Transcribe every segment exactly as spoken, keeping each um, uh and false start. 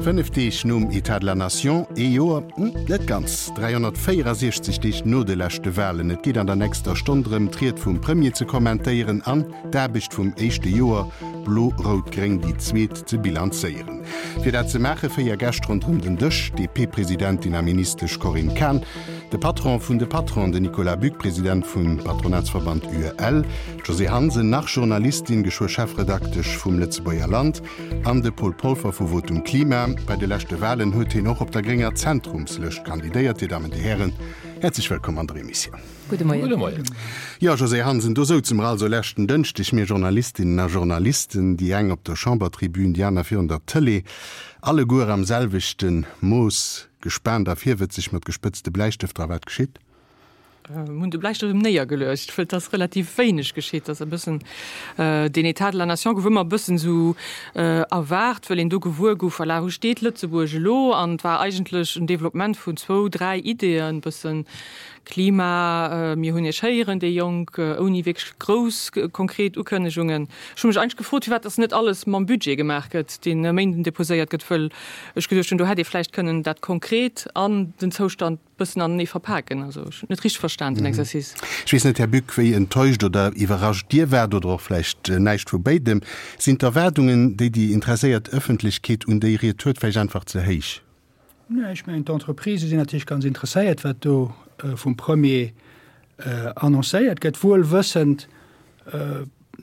Fënnef Deeg nom État de la Nation, ee Joer, hm, net ganz, dräihonnertvéierasiechzeg Deeg no de leschte Walen. Et geet an der nächster Stonn drëm, d'Ried vum Premier ze kommentéieren an d'Aarbecht vum éischte Joer Blo-Rout-Gréng déi zweet ze bilanzéieren. Fir dat ze maache véier Gäscht ronderëm den Dësch, d'DP-Presidentin a Ministesch Corinne Cahen, de Patron vun de Patronen, den Nicolas Buck, President vum Patronatsverband UEL, d'Josée Hansen, nach Journalistin, geschwë Chefredaktesch vum Lëtzebuerger Land, an de Paul Polfer vu Votum Klima. Bei de leschte Walen huet hien och op der grénger Zentrumslëscht kandidéiert. Dir Dammen, Dir Hären, häerzlech wëllkomm an der Emissioun. Gudde Moien. Gudde Moien. Jo, Josée Hansen, do souze mer also leschten Dënschdeg, mir Journalistinnen a Journalisten, déi eng op der Chambertribün, déi aner virun der Tëlee, alleguer am selwechte Mooss gespaant a virwëtzeg mat gespëtzte Bläistëfter. A wat geschitt? Mir hunn de Bläistëft erëm néiergeluecht, well et ass relativ wéineg geschitt. Et ass e bëssen, deen État de la nation gouf ëmmer e bëssen esou erwaart, well een do gewuer gouf, voilà, wou steet Lëtzebuerg elo? An et war eigentlech en Développement vun zwou, dräi Ideeën, e bëssen Klima, mir hunn Iech héieren, déi Jonk, ouni wierklech grouss konkret Ukënnegungen. Ech hu mech eigentlech gefrot, firwat dass net alles mam Budget gemaach gëtt, deen e Méinden deposéiert gëtt, wëll ech geduecht hunn, do hätt ee vläicht kënnen dat konkret an den Zoustand bëssen anenee verpaken. Also ech hunn et net richteg verstan, den Exercice. Ech weess net, Här Buck, wéi enttäuscht oder iwwerrascht Dir waart, oder och vläicht näischt vu béidem. Sinn d'Erwaardungen, déi déi interesséiert Ëffentlechkeet un déi Ried huet, vläicht einfach ze héich? Nee, ech mengen, d'Entreprisë sinn natierlech ganz interesséiert, wat do vum Premier annoncéiert gëtt, wuel wëssend,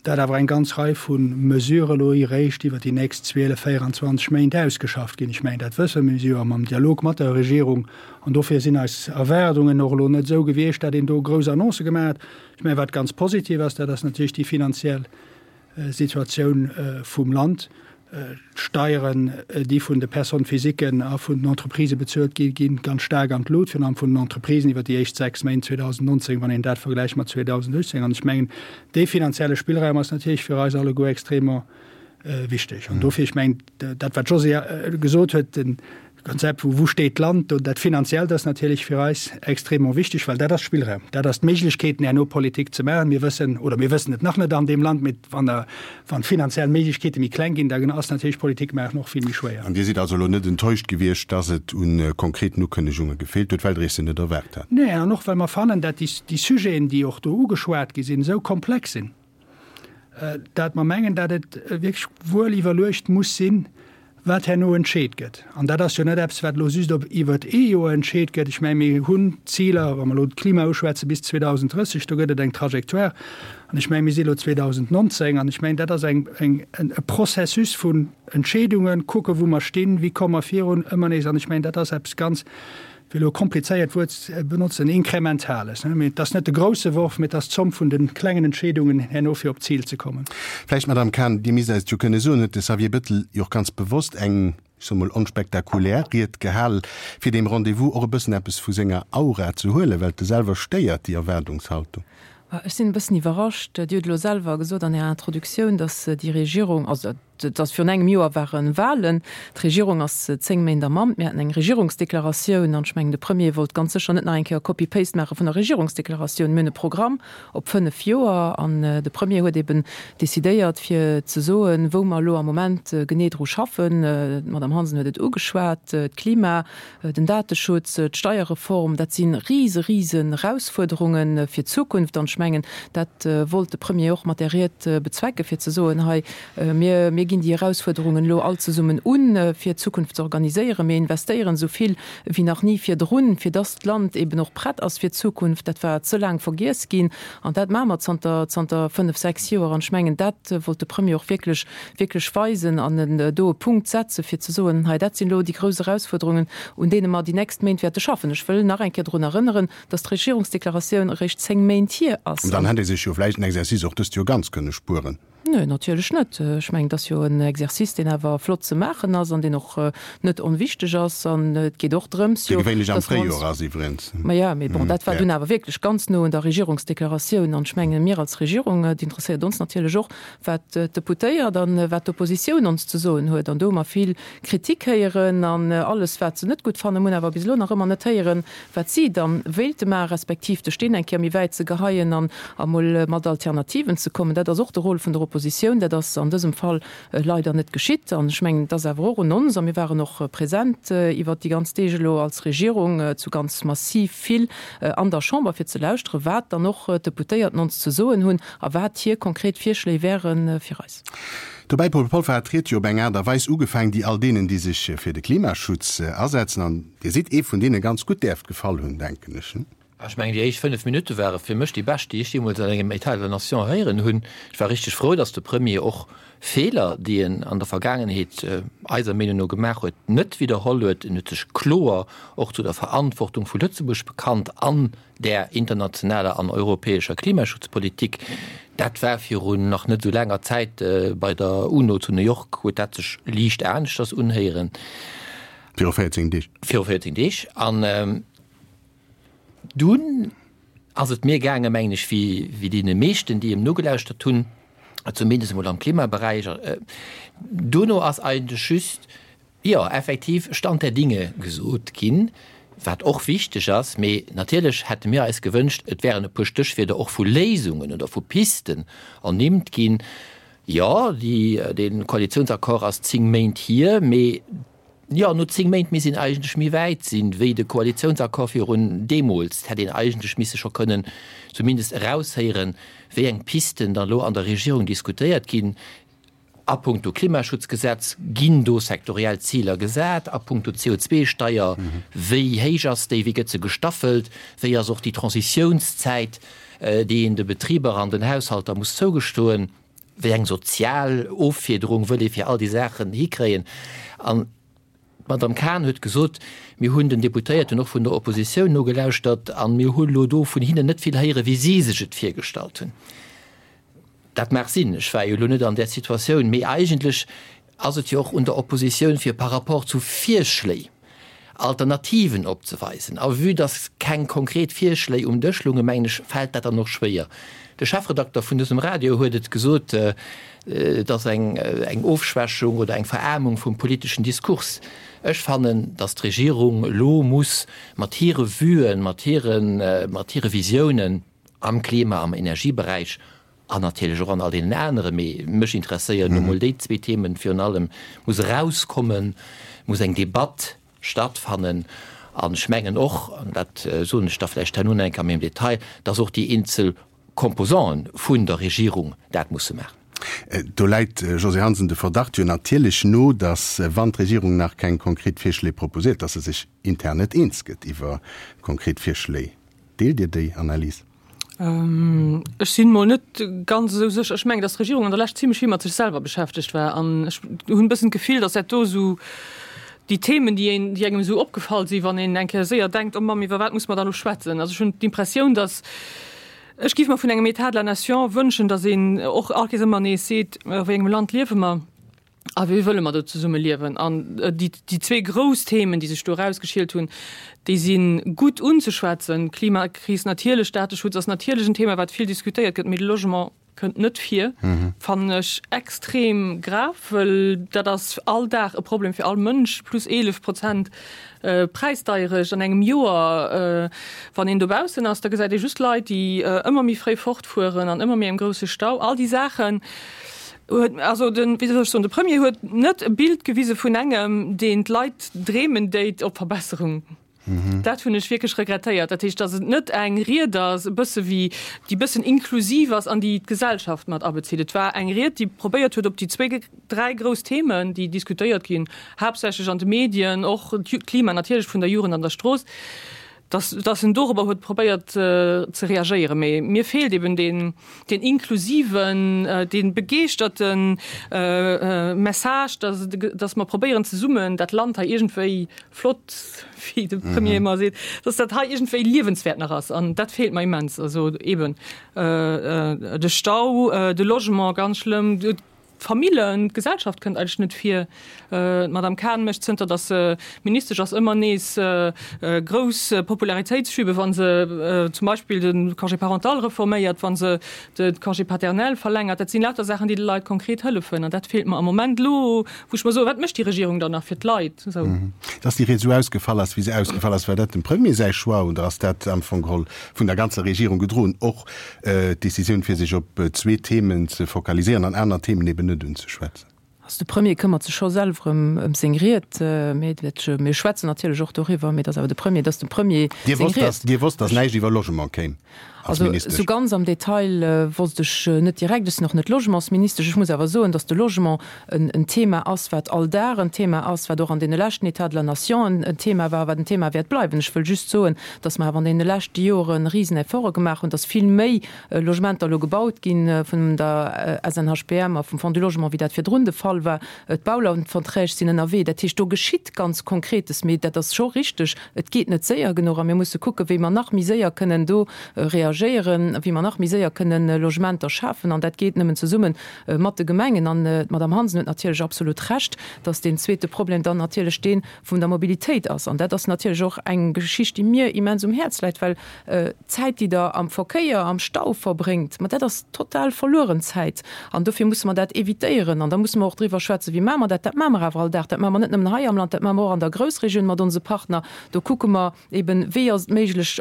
dat awer eng ganz Rei vu Mesurë elo eréischt iwwert déi nächst zwielef, véieranzwanzeg Méint ausgeschafft ginn. Ech mengen, dat wësse mir, mir si jo am Dialog mat der Regierung an dofir sinn eis Erwaardungen och elo net esou gewiescht, dat een do grouss Annoncë gemaach huet. Ech mengen, wat ganz positiv ass, dat ass natierlech déi finanziell Situatioun vum Land. D'Steieren, déi vun de Personnes physiquen a vun den Entreprisë bezuelt ginn, gi ganz staark an d'Lut, virun allem vun den Entreprisen iwwer déi éischt sechs Méint zweedausendnonzéng, wann een dat vergläicht mat zweedausendachtzéng. An ech mengen, dee finanzielle Spillraum ass natierlech fir eis alleguer extrêmement wichteg. An dofir, ech mengen, dat wat d'Josée gesot huet, de Konzept vu wou steet d'Land, do dat Finanziellt ass natierlech fir eis extrêmement wichteg, well dat ass Spillraum, dat ass d'Méiglechkeeten herno Politik ze maachen. Mir wëssen, oder mir wëssen et nach net an deem Land, mee wann der, wann d'finanziell Méiglechkeete méi kleng ginn, da ass natierlech Politik maachen och vill méi schwéier. An Dir sidd also elo net enttäuscht gewiescht, dass et u konkreten Ukënnegunge gefeelt huet, well Der iech se net erwaart hat? Nee, an och well mer fannen, dat déi, déi Sujeten, déi och do ugeschwat gi sinn, esou komplex sinn, dat mer mengen, dat et wierklech wuel iwwerluecht muss sinn, wat herno entscheet gëtt. An dat ass jo net eppes, wat elo just op iwwert ee Joer entscheet gëtt. Ech mengen, mir hunn Ziler, wa mer elo d'Klima uschwätzen, bis zweedausendrësseg, do gëtt et eng Trajectoire. An ech mengen, mir si elo zweedausendnonzéng, an ech mengen, dat ass eng, eng, e Processus vun Entscheedungen, kucken, wou mer stinn, wéi komme mer virun, ëmmer nees. An ech mengen, dat ass eppes ganz, fir elo e komplizéiert Wuert ze benotzen, Inkrementales. Mee et ass net de grousse Worf, mee et ass d'Zomm vun de klengen Entscheedungen herno, fir op d'Zil ze kommen. Vläicht, Madamm Cahen, Dir misst eis et jo kënne soen, huet de Xavier Bettel jo och ganz bewosst eng, ech soe mol, onspektakulär Ried gehal, fir deem Rendez-vous och e bëssen eppes vu senger Aura ze huelen, well et e selwer stéiert, déi Erwaardungshaltung. Ech sinn e bëssen iwwerrascht. Dir hutt elo selwer gesot an Ärer Introduktioun, datt déi Regierung, also datt virun engem Joer ware Wahlen, d'Regierung ass zéng Méint am Amt, mir haten eng Regierungsdeklaratioun an ech mengen, de Premier wollt ganz sécher net nach eng Kéier Copy-paste maache vun der Regierungsdeklaratioun. Mir hunn e Programm op fënnef Joer an de Premier huet eben decidéiert fir ze soen, wou mer elo am Moment genee dru schaffen. D'Madame Hansen huet et ugeschwat, d'Klima, den Dateschutz, d'Steierreform, dat si rise, risen Erausfuerderunge fir d'Zukunft. An ech mengen, dat wollt de Premier och mat där Ried bezwecken, fir ze soen, hei, mir, mir ginn déi Erausfuerderungen elo all zesummen un, fir d'Zukunft ze organiséieren. Mir investéieren esou vill wéi nach ni virdrun, fir dass d'Land eben och prett ass fir d'Zukunft. Dat war ze laang vergiess ginn an dat maache mer zanter, zanter fënnef, sechs Joer. An ech mengen, dat wollt de Premier och wierklech, wierklech weisen an en do e Punkt setze fir ze soen, hei dat sinn elo déi grouss Erausfuerderungen, un deene mer déi nächst Méint wäerte schaffen. Ech wëll nach eng Kéier drun erënneren, dass d'Regierungsdeklaratioun eréischt zéng Méint hier ass. An dann hätt ee sech jo vläicht den Exercice och dëst Joer ganz kënne spueren. Nö, natierlech net. Ech mengen, et ass jo en Exercice, deen awer flott ze maachen ass an deen och net onwichteg ass. An et geet och drëms jo, Dee gewéinlech am dass mer ons. Fréijoer ass iwwregens. Maja, mee bon, dat war dunn awer wierklech ganz no un der Regierungsdeklaratioun. An ech mengen, mir als Regierung, et interesséiert ons natierlech och, wat d'Deputéiert an wat d'Oppositioun ons ze soen huet. An do hu mer vill Kritik héieren an alles, wat se net gutt fannen. Mir hunn awer bis elo nach ëmmer net héieren, wat si da wéilte maachen, respektiv de Steen eng Kéier méi wäit ze geheien an emol mat Alternativen ze kommen. Dat ass och de Rôle vun der Oppositioun. Oppositioun. Dat ass an dësem Fall leider net geschitt. An ech mengen, et ass awer och un ons, a mir waren och present iwwert déi ganz Deeg elo als Regierung zu ganz massiv vill an der Chamber, fir ze lauschteren, wat dann och d'Deputéierten ons ze soen hunn a wat hir konkret Virschléi wäre fir eis. Dobäi, Paul Polfer, hat d'Ried jo op eng Aart a Weis ugefaangen, déi all deenen, déi sech fir de Klimaschutz asetzen, an Dir sidd ee vun deenen, ganz gutt däerft gefall hunn, denken ech. Ech mengen, déi éischt fënnef Minutte ware fir mech déi bescht, déi ech jeemools an engem État de la Nation héieren hunn. Ech war richteg frou, datt de Premier och Feeler, déi en an der Vergaangenheet eiser Meenung no gemaach huet, net widderholl huet. En huet sech kloer och zu der Verantwortung vu Lëtzebuerg bekannt an där internationaler an europäescher Klimaschutzpolitik. Dat war virun nach net esou laanger Zäit bei der UNO zu New York, huet dat sech liicht aneschters unhéieren. Viru véierzéng Deeg. Viru véierzéng Deeg. An dunn ass et mir gaangen, mengen ech, wéi deene meeschten, déi em nogelauschtert hunn, zumindest emol am Klimaberäich. Duerno ass eigentlech just, jo, effektiv Stand der Dinge gesot ginn, wat och wichteg ass. Mee natierlech hätte mir eis gewënscht, et wären e puer Stéchwierder och vu Léisungen oder vu Pisten ernimmt ginn. Jo, déi, dee Koalitionsaccord ass zéng Méint hier, mee Jo, no zéng Méint misst een eigentlech méi wäit sinn, wéi de Koalitionsaccord virun deemools. Et hätt een eigentlech misse scho kënnen zumindest eraushéieren, wéi eng Pisten dann elo an der Regierung diskutéiert ginn. A puncto Klimaschutzgesetz, ginn do sektoriell Ziler gesat? A puncto C O zwei Steier, wéi héich ass déi, wéi gëtt se gestaffelt? Wéi ass och déi Transitiounszäit, déi een de Betriber an den Haushalter muss zougestoen? Wéi eng sozial Offiederung wëll ee fir all déi Saachen hikréien? An d'Madame Cahen huet gesot, mir hunn den Deputéierten och vun der Oppositioun nogelauschtert a mir hu lo do vun hinnen net vill héieren, wéi si sech et virgestallt hunn. Dat mag sinn, ech war jo elo net an där Situatioun, mee eigentlech ass et jo och un der Oppositioun, fir par rapport zu Virschléi Alternativen opzeweisen. A vue dass keng konkret Virschléi um Dësch lungen, mengen ech, fält dat dann och schwéier. De Chefredakter vun dësem Radio huet et gesot, et ass eng Ofschwächung oder eng Veraarmung vum politeschen Diskurs. Ech fannen, dass d'Regierung elo muss mat hire Vuen, mat hire Visiounen am Klima-, am Energieberäich an natierlech och an all deenen aneren, mee mech interesséieren nu mol déi zwee Themen virun allem, muss erauskommen, muss eng Debatt stattfannen. An ech mengen och, an dat soen ech da vläicht herno nach eng Kéier méi am Detail, dass och déi eenzel Composanten vun der Regierung dat musse maachen. Do läit, Josée Hansen, de Verdacht jo natierlech no, dass, wann d'Regierung nach keng konkret Virschléi proposéiert, dass se sech intern net eens gëtt iwwer konkret Virschléi. Deelt Dir déi Analys? Ech sinn mol net ganz esou sécher. Ech mengen, datt d'Regierung an der Lescht zimlech vill mat sech selwer beschäftegt war. An ech hunn e bëssen d'Gefill, datt dat do esou déi Themen, déi een, déi engem esou opgefall sinn, wann een eng Kéier séier denkt, oh Mamm, iwwer wat muss mer da lo schwätzen? Also ech hunn d'Impressioun, datt, ech géif mer vun engem État de la nation wënschen, datt een och all Kéiers ëmmer nees seet, a wéi engem Land liewe mer? A wéi wëlle mer do zesumme liewen? An déi, déi zwee grouss Themen, déi sech do erausgeschielt hunn, déi si gutt unzeschwätzen. Klimakris natierlech, Dateschutz ass natierlech en Thema, wat vill diskutéiert gëtt, mee de Logement kënnt net vir, fannen ech extrem grav, wëll dat ass all Dag e Problem fir all Mënsch, plus eelef Prozent Präisdeierecht an engem Joer. Wann een dobaussen ass, da gesäit ee just Leit, déi ëmmer méi fréi fortfueren an ëmmer méi engem grousse Stau. All déi Saachen. Huet, also den, wéi soll ech soen, de Premier huet net e Bild gewise vun engem, deen d'Leit dreemen déit op Verbesserung. Dat hunn ech wierklech regrettéiert. Dat heescht, datt et net eng Ried ass, e bësse wéi, déi e bëssen inklusiv ass an déi d'Gesellschaft mat abezitt. Et war eng Ried, déi probéiert huet, op déi zwéi, dräi grouss Themen, déi diskutéiert ginn, haaptsächlech an de Medien, och d'Klima natierlech vun der Jugend an der Strooss, dass, dass en dorobber huet probéiert ze reagéieren. Mee mir feelt eben deen, deen inklusiven, dee begeeschterte Message, dass, dass mer probéieren zesummen dat Land hei iergendwéi flott, wéi de Premier ëmmer seet, dass dat hei iergendwéi liewenswäert nach ass. An dat feelt mer immens. Also eben de Stau, de Logement, ganz schlëmm, D'Famillen, d'Gesellschaft kënnt eigentlech net vir. D'Madame Cahen mécht, zënter datt se Ministesch ass, ëmmer nees grouss Popularitéitsschübe, wa se zum Beispill de Congé parental reforméiert, wa se de Congé paternel verlängert. Dat sinn lauter Saachen, déi de Leit konkret hëllefen. An dat feelt mer am Moment elo, wou ech mer soen, Wat mécht déi Regierung dann nach fir d'Leit? Esou. Dass déi Ried esou ausgefall ass, wéi se ausgefall ass, war dat dem Premier säi Choix oder ass dat am Fong geholl vun der ganzer Regierung gedroen, och d'Decisioun, fir sech op zwee Themen ze fokaliséieren an aner Themen eben net unzeschwätzen? Also de Premier këmmert sech scho selwer ëm ëm seng Ried, mee dat, mir schwätzen natierlech och doriwwer, mee dat ass awer de Premier, dat ass dem Premier Dir seng wosst, Ried. dass, Dir wosst, dass näischt iwwer Logement kéim als Also Ministesch? esou ganz am Detail wosst ech net direkt. Ech sinn och net Logementsministesch. Ech muss awer soen, dass de Logement en en Thema ass, wat all Dag en Thema ass, wat och an deene leschten États de la Nation en Thema war, wat en Thema wäert bleiwen. Ech wëll just soen, dass mer awer an deene leschte Joren risen Efforte gemaach hunn, dass vill méi Logementer elo gebaut gi vun der S N H P M a vum Fonds du Logement, wéi dat virdrun de Fall war. D'Baulandverträg sinn ënnerwee. Dat heescht, do geschitt ganz Konkretes. Mee dat ass scho richteg, et geet net séier genuch a mir musse kucken, wéi mer nach méi séier kënnen do reagéieren, wéi mer nach méi séier kënnen Logementer schafen. An dat geet nëmmen zesumme mat de Gemengen. An d'Madame Hansen huet natierlech absolut Recht, dass deen zweete Problem dann natierlech dee vun der Mobilitéit ass. An dat ass natierlech och eng Geschicht, déi mir immens um Häerz läit, well d'Zäit, déi Der am Verkéier, am Stau verbréngt, ma dat ass total verlueren Zäit. An dofir musse mer dat évitéieren. An da musse mer och driwwer schwätzen, wéi maache mer dat. Dat maache mer awer all Dag. Dat maache mer net nëmmen hei am Land, dat maache mer och an der Groussregioun mat onse Partner. Do kucke mer eben, wéi ass et méiglech,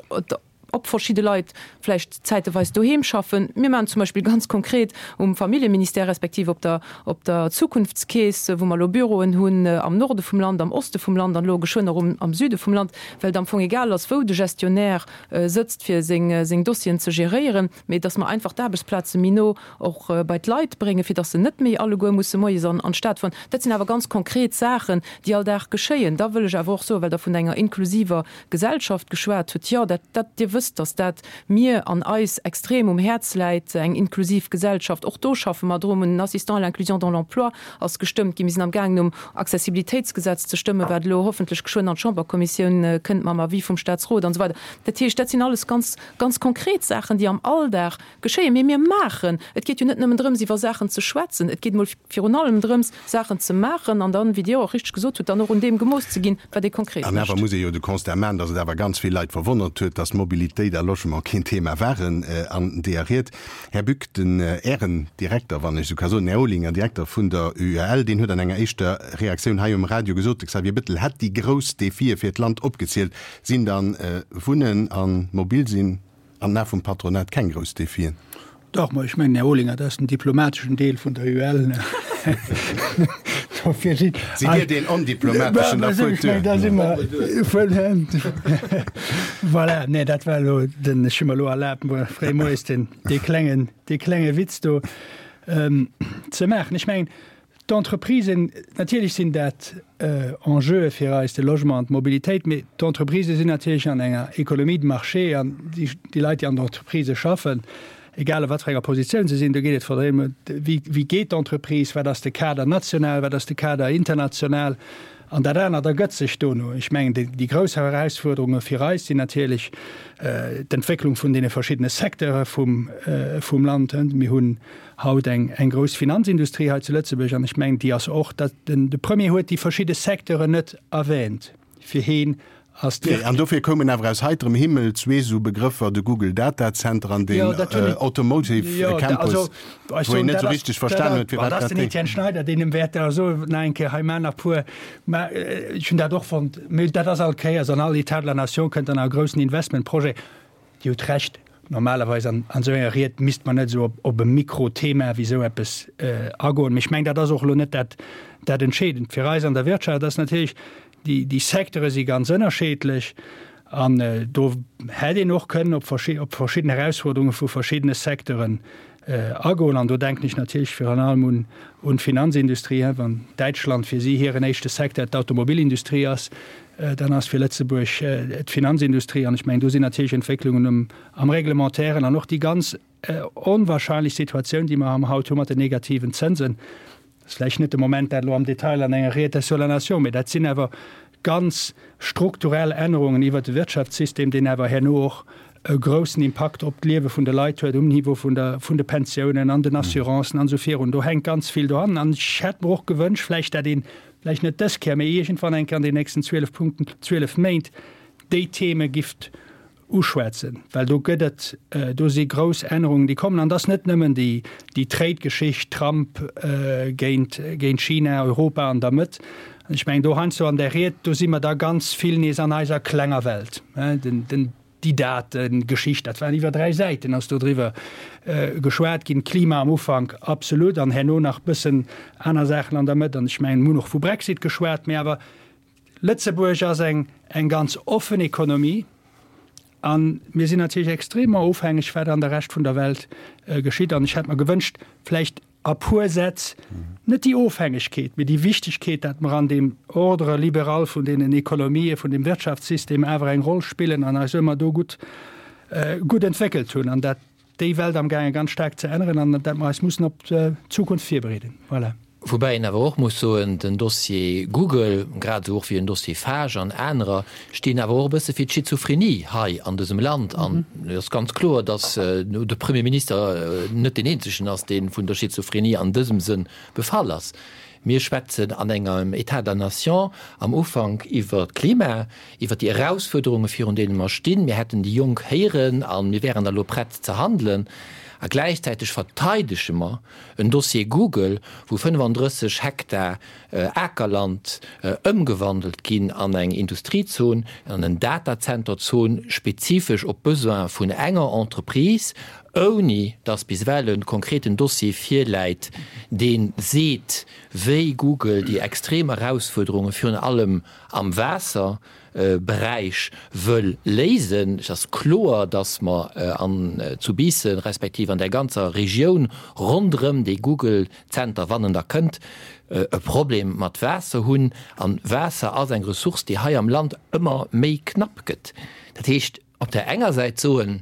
ob verschidde Leit vläicht zäiteweis doheem schaffen. Mir maachen zum Beispill ganz konkret um Familljeministère respektiv op der, op der Zukunftskeess, wou mer elo Büroen hunn am Norde vum Land, am Oste vum Land an elo geschwënn och um, am Süde vum Land, well et am Fong egal ass, wou de Gestionnaire sëtzt, fir seng, seng Dossieren ze geréieren, mee dass mer einfach d'Aarbechtsplaze méi no och bei d'Leit bréngen, fir dass se net méi alleguer musse moies an, an d'Stad fueren. Dat sinn awer ganz konkret Saachen, déi all Dag geschéien. Da wëll ech awer och soen, well Der vun enger inklusiver Gesellschaft geschwat hutt, jo, dat, dat, Dir wësst, dass dat mir an eis extrem um Häerz läit, eng inklusiv Gesellschaft. Och do schaffe mer drun. En Assistant à l'inclusion dans l'emploi ass gestëmmt ginn. Mir sinn amgaangen, um Accessibilitéitsgesetz ze stëmmen, wat elo hoffentlech geschwënn an d'Chamberkommissioun kënnt mam Avis vum Statsrot an esou weider. Dat heescht, dat sinn alles ganz, ganz konkret Saachen, déi am Alldag geschéien. Mee mir maachen. Et geet jo net nëmmen drëms, iwwer Saachen ze schwätzen. Et geet emol virun allem drëms, Saachen ze maachen an dann, wéi Dir och richteg gesot hutt, dann och un deem gemooss ze ginn, wat ee konkret An awer mécht. muss ee jo de Constat maachen, datt et awer ganz vill Leit verwonnert huet, datt Mobilitéit a Logement keen Thema waren an deeër Ried. Här Buck, den Ären Direkter, wann ech esou ka soen, den Här Olinger, Direkter vun der U E L, deen huet an enger éischter Reaktioun hei um Radio gesot, de Xavier Bettel hätt déi grouss Defie fir d'Land opgezielt. Sinn dann Wunnen a mobil sinn an den Ae vum Patronat keng grouss Defien? Dach, ma ech mengen, Här Olinger, dat ass den diplomateschen Deel vun der U E L. Dofir sinn. Sidd Dir deen Ondiplomateschen, da fuert duer. Da si mer. Voilà, nee, dat war elo den, ech hu mer elo erlaabt, muer fréi moies den, dee klengen, dee klenge Witz do ze maachen. Ech mengen, d'Entreprisen, natierlech sinn dat Enjeue fir eis, de Logement an d'Mobilitéit, mee d'Entreprisë sinn natierlech an enger Économie de marché an déi Leit, déi an den Entreprisë schaffen, egal a wat fir enger Positioun se sinn, do geet et vor allem ëm, wéi geet d'Entreprise, wat ass de Kader national, wat ass de Kader international an dat anert ergëtt sech dono. Ech mengen, déi grouss Erausfuerderunge fir eis sinn natierlech d'Entwécklung vun deene verschiddene Secteure vum Land. Mir hunn haut eng grouss Finanzindustrie hei zu Lëtzebuerg an ech mengen, déi ass och, de Premier huet déi verschidde Secteuren net erwähnt, fir heen ass d'Wirtschaft. An dofir koumen awer aus heiterem Himmel zwee esou Begrëffer, de Google Data Center an den Automotive Campus, wou een net esou richteg verstanen huet, firwat dat. Dat ass den Etienne Schneider, deen em wäert da soen, nach eng Kéier, hei maan nach puer, mä ech hunn dat och fonnt, mä dat ass all Kéiers, an all État de la Nation kënnt dann nach e groussen Investmentprojet. Dir hutt Recht, normalerweis an esou enger Ried misst mer net esou op e Mikrothema wéi esou eppes agoen, mä ech mengen, dat ass och elo net dat Entscheedend. Fir eis an der Wirtschaft ass natierlech, déi Secteure si ganz ënnerscheedlech an do hätt een och kënnen op verschidden Erausfuerderunge vu verschiddene Secteuren agoen. An do denken ech natierlech virun allem un d'Finanzindustrie. Wann Däitschland fir si hiren éischte Secteur d'Automobilindustrie ass, dann ass fir Lëtzebuerg d'Finanzindustrie. An ech mengen, do sinn natierlech Entwécklungen am Reglementairen an och déi ganz onwahrscheinlech Situatioun, déi mer haut hu mat den negativen Zënsen, Dat ass vläicht net de Moment, dat elo am Detail an enger Ried sur la Nation, mee dat sinn awer ganz strukturell Ännerungen iwwert de Wirtschaftssystem, deen awer herno och e groussen Impakt op d'Liewe vun de Leit huet um Niveau vun der, vun de Pensiounen an den Assurancen an esou virun. Do hänkt ganz vill dran. An ech hätt mer och gewënscht vläicht, dat een, vläicht net dës Kéier, mee iergendwann eng Kéier an den nächsten zwielef Punkten, zwielef Méint, déi Theme gifft uschwätzen, well do gëtt et, do si grouss Ännerungen, déi kommen. An et ass net nëmmen déi, déi Trade-Geschicht, Trump géint, géint China, Europa an der Mëtt. An ech mengen, do heiansdo an där Ried, do si mer da ganz vill nees an eiser klenger Welt. Den, den, déi Dategeschicht, dat waren iwwer dräi Säiten, ass do driwwer geschwat ginn. Klima am Ufank, absolut, an herno nach bëssen aner Saachen an der Mëtt. An ech mengen, mir hunn och vu Brexit geschwat, mee awer Lëtzebuerg ass eng, eng ganz offen Ekonomie a mir sinn natierlech extrêmement ofhängeg, wat an der Rescht vun der Welt geschitt. An ech hätt mer gewënscht, vläicht a puer Sätz net déi Ofhängegkeet, mee déi Wichtigkeet, dat mer an deem Ordre libéral vun deenen Ekonomië, vun deem Wirtschaftssystem awer eng Roll spillen an eis ëmmer do gutt, gutt entwéckelt hunn an dat déi Welt amgaange ganz staark ze änneren an dat mer eis mussen op d'Zukunft virbereeden. Voilà. Woubäi een awer och muss soen, den Dossier Google, grad esou och wéi den Dossier Fage an anerer, stinn awer och e bësse fir d'Schizophrenie hei an dësem Land. An et ass ganz kloer, datt de Premier Minister net deen eenzegen ass, dee vun der Schizophrenie an dësem Sënn befall ass. Mir schwätzen an engem État de la nation am Ufank iwwer d'Klima, iwwer déi Erausfuerderunge virun deene mer stinn. Mir hätten déi Jonk héieren a mir wären da elo prett ze handelen. A gläichzäiteg verteidege mer en Dossier Google, wou fënnefandrësseg Hektar Akerland ëmgewandelt ginn an eng Industriezon, an en Datazenterzon, spezifesch op d'Besoine vun enger Entreprise, ouni datt bis ewell e konkreten Dossier virläit, dee seet, wéi Google déi extrem Erausfuerderunge virun allem am Waasser Beräich wëll léisen. Et ass kloer, datt mer an zu Biissen, respektiv an där ganzer Regioun ronderëm dee Google-Zenter, wann en da kënnt, e Problem mat Waasser hunn. A Waasser ass eng Ressource, déi hei am Land ëmmer méi knapp gëtt. Dat heescht, op där enger Säit soen,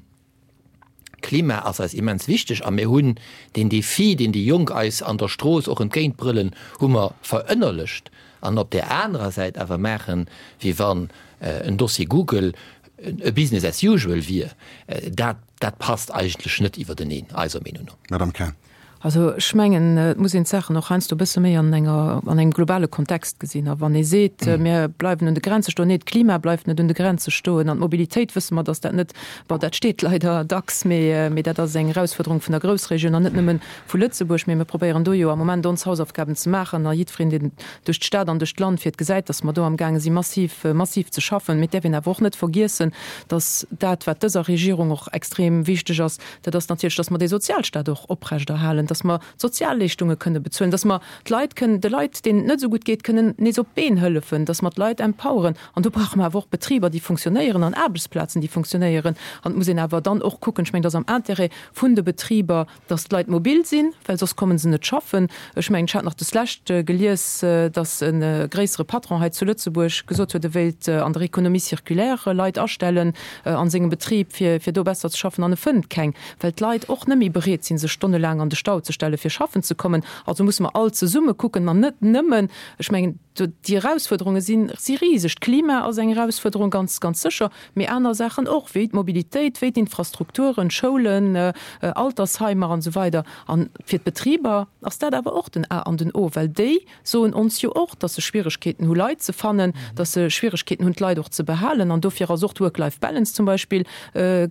Klima ass eis immens wichteg a mir hunn deen Defi, deen déi Jonk eis an der Strooss och entgéintbrëllen, hu mer verënnerlecht. An op där anerer Säit awer maachen, wéi wann en Dossier Google e Business as usual wier, dat, dat passt eigentlech net iwwerteneen, eiser Meenung no. Madame Cahen. Also ech mengen, et muss een d'Saachen och heiansdo e bësse méi an enger, an engem globale Kontext gesinn. A wann ee seet, mir bleiwen un de Grenze stoen, nee, d'Klima bleift net un de Grenze stoen an d'Mobilitéit wësse mer, datt dat net, bon, dat steet leider dacks, mee, mee dat ass eng Erausfuerderung vun der Groussregioun an net nëmme vu Lëtzebuerg. Mee mir probéieren do jo am Moment ons Hausaufgaben ze maachen a jiddwereen, deen duerch d'Stad an duerch d'Land fiert, gesäit, datt mer do amgaange si massiv, massiv ze schaffen. Mee et däerf een awer och net vergiessen, datt dat, wat dëser Regierung och extrem wichteg ass, dat ass natierlech, datt mer dee Sozialstaat och oprechterhalen, datt mer d'Sozialleeschtunge kënne bezuelen, datt mer d'Leit kënnen, de Leit, deenen et net esou gutt geet, kënnen nees op d'Been hëllefen, datt mer d'Leit empoweren. An do brauche mer awer och Betriber, déi funktionéieren an Aarbechtsplazen, déi funktionéieren. An et muss een awer dann och kucken, ech mengen, et ass am Intérêt vun de Betriber, datt d'Leit mobil sinn, well soss komme se net schaffen. Ech mengen, ech hat nach deslescht gelies, datt e gréissere Patron hei zu Lëtzebuerg gesot huet, e wéilt an der Économie circulaire Leit astellen a sengem Betrib, fir do besser ze schaffen, an e fënnt keng, well d'Leit och net méi bereet sinn, sech stonnelaang an de Stau ze stelle fir schaffen ze kommen. Also musse mer all zesumme kucken an net nëmmen, ech mengen, déi Erausfuerderunge sinn, si riseg. D'Klima ass eng Erausfuerderung, ganz, ganz sécher, mee aner Saachen och, wéi d'Mobilitéit, wéi d'Infrastrukturen, Schoulen, Altersheimer an esou weider. A fir d'Betriber ass dat awer och den A an den O, well déi soen ons jo och, dass se Schwieregkeeten hu Leit ze fannen, dass se Schwieregkeeten hunn d'Leit och ze behalen. An dofir ass och d'Work-Life-Balance zum Beispill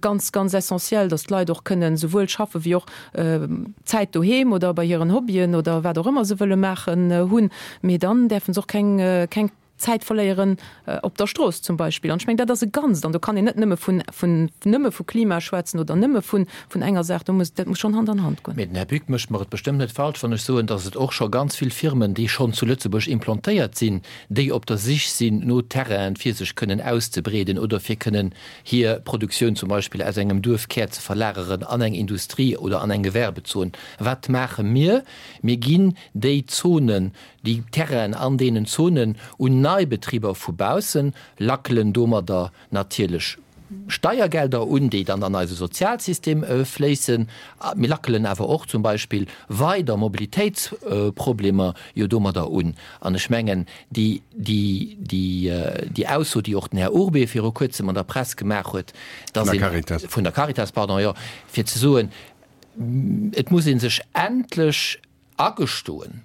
ganz, ganz essentiell, dass d'Leit och kënnen souwuel schaffe wéi och Zäit doheem oder bei hiren Hobbyen oder wat och ëmmer se wëlle maachen hunn. Mee dann däerfe se och keng, keng Zäit verléieren op der Strooss zum Beispill. An ech mengen, dat ass e Ganzt. An do kann een net nëmme vun, vun, nëmme vu Klima schwätzen oder nëmme vun, vun enger Saach. Do muss, dat muss schonn Hand an Hand goen. Mee den Här Buck mécht mer et bestëmmt net falsch, wann ech soen, datt et och scho ganz vill Firmen, déi schonn zu Lëtzebuerg implantéiert sinn, déi op der Sich sinn no Terrainen, fir sech kënnen auszebreeden oder fir kënnen hir Produktioun zum Beispill aus engem Duerfkär ze verlageren an eng Industrie oder an eng Gewerbezon. Wat maache mir? Mir ginn déi Zonen, déi Terrainen an deenen Zonen un nei Betriber vu baussen, lackelen domadder natierlech Steiergelder un, déi dann an eise Sozialsystem fléissen. Mir lackelen awer och zum Beispill weider Mobilitéitsproblemer jo domadder un. An ech mengen, déi, déi, déi, déi Ausso, déi och den Här Urbé viru Kuerzem an der Press gemaach huet, dass een, vun der Caritas, pardon, jo, fir ze soen, et muss ee sech endlech agestoen,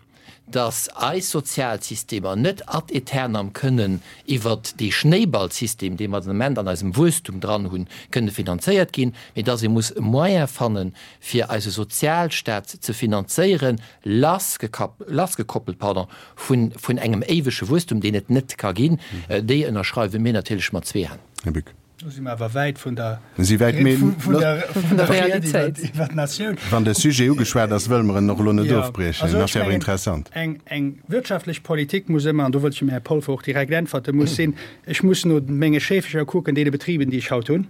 dass eis Sozialsystemer net ad aeternam kënnen iwwert dee Schnéiballsystem, dee mer den Ament an eisem Wuesstum dran hunn, kënne finanzéiert ginn, mee dass ee muss e Moyen fannen, fir eise Sozialstaat ze finanzéieren, lassgekoppelt, pardon, vun, vun engem éiwege Wuesstum, deen et net ka ginn. Déi ënnerschreiwe mir natierlech mat zwee Hänn. Här Bück. Do si mer awer wäit vun der Realitéit. Iwwer d'Natioun. Wann de Sujet ugeschwat ass, wëlle mer en och elo net ofbriechen. En ass jo awer interessant. Eng wirtschaftlech Politik muss ëmmer, an do wëllt ech dem Här Polfer och direkt äntwerten, muss sinn, ech muss no menge Schéfecher kucken, deene Betriben, déi ech haut hunn,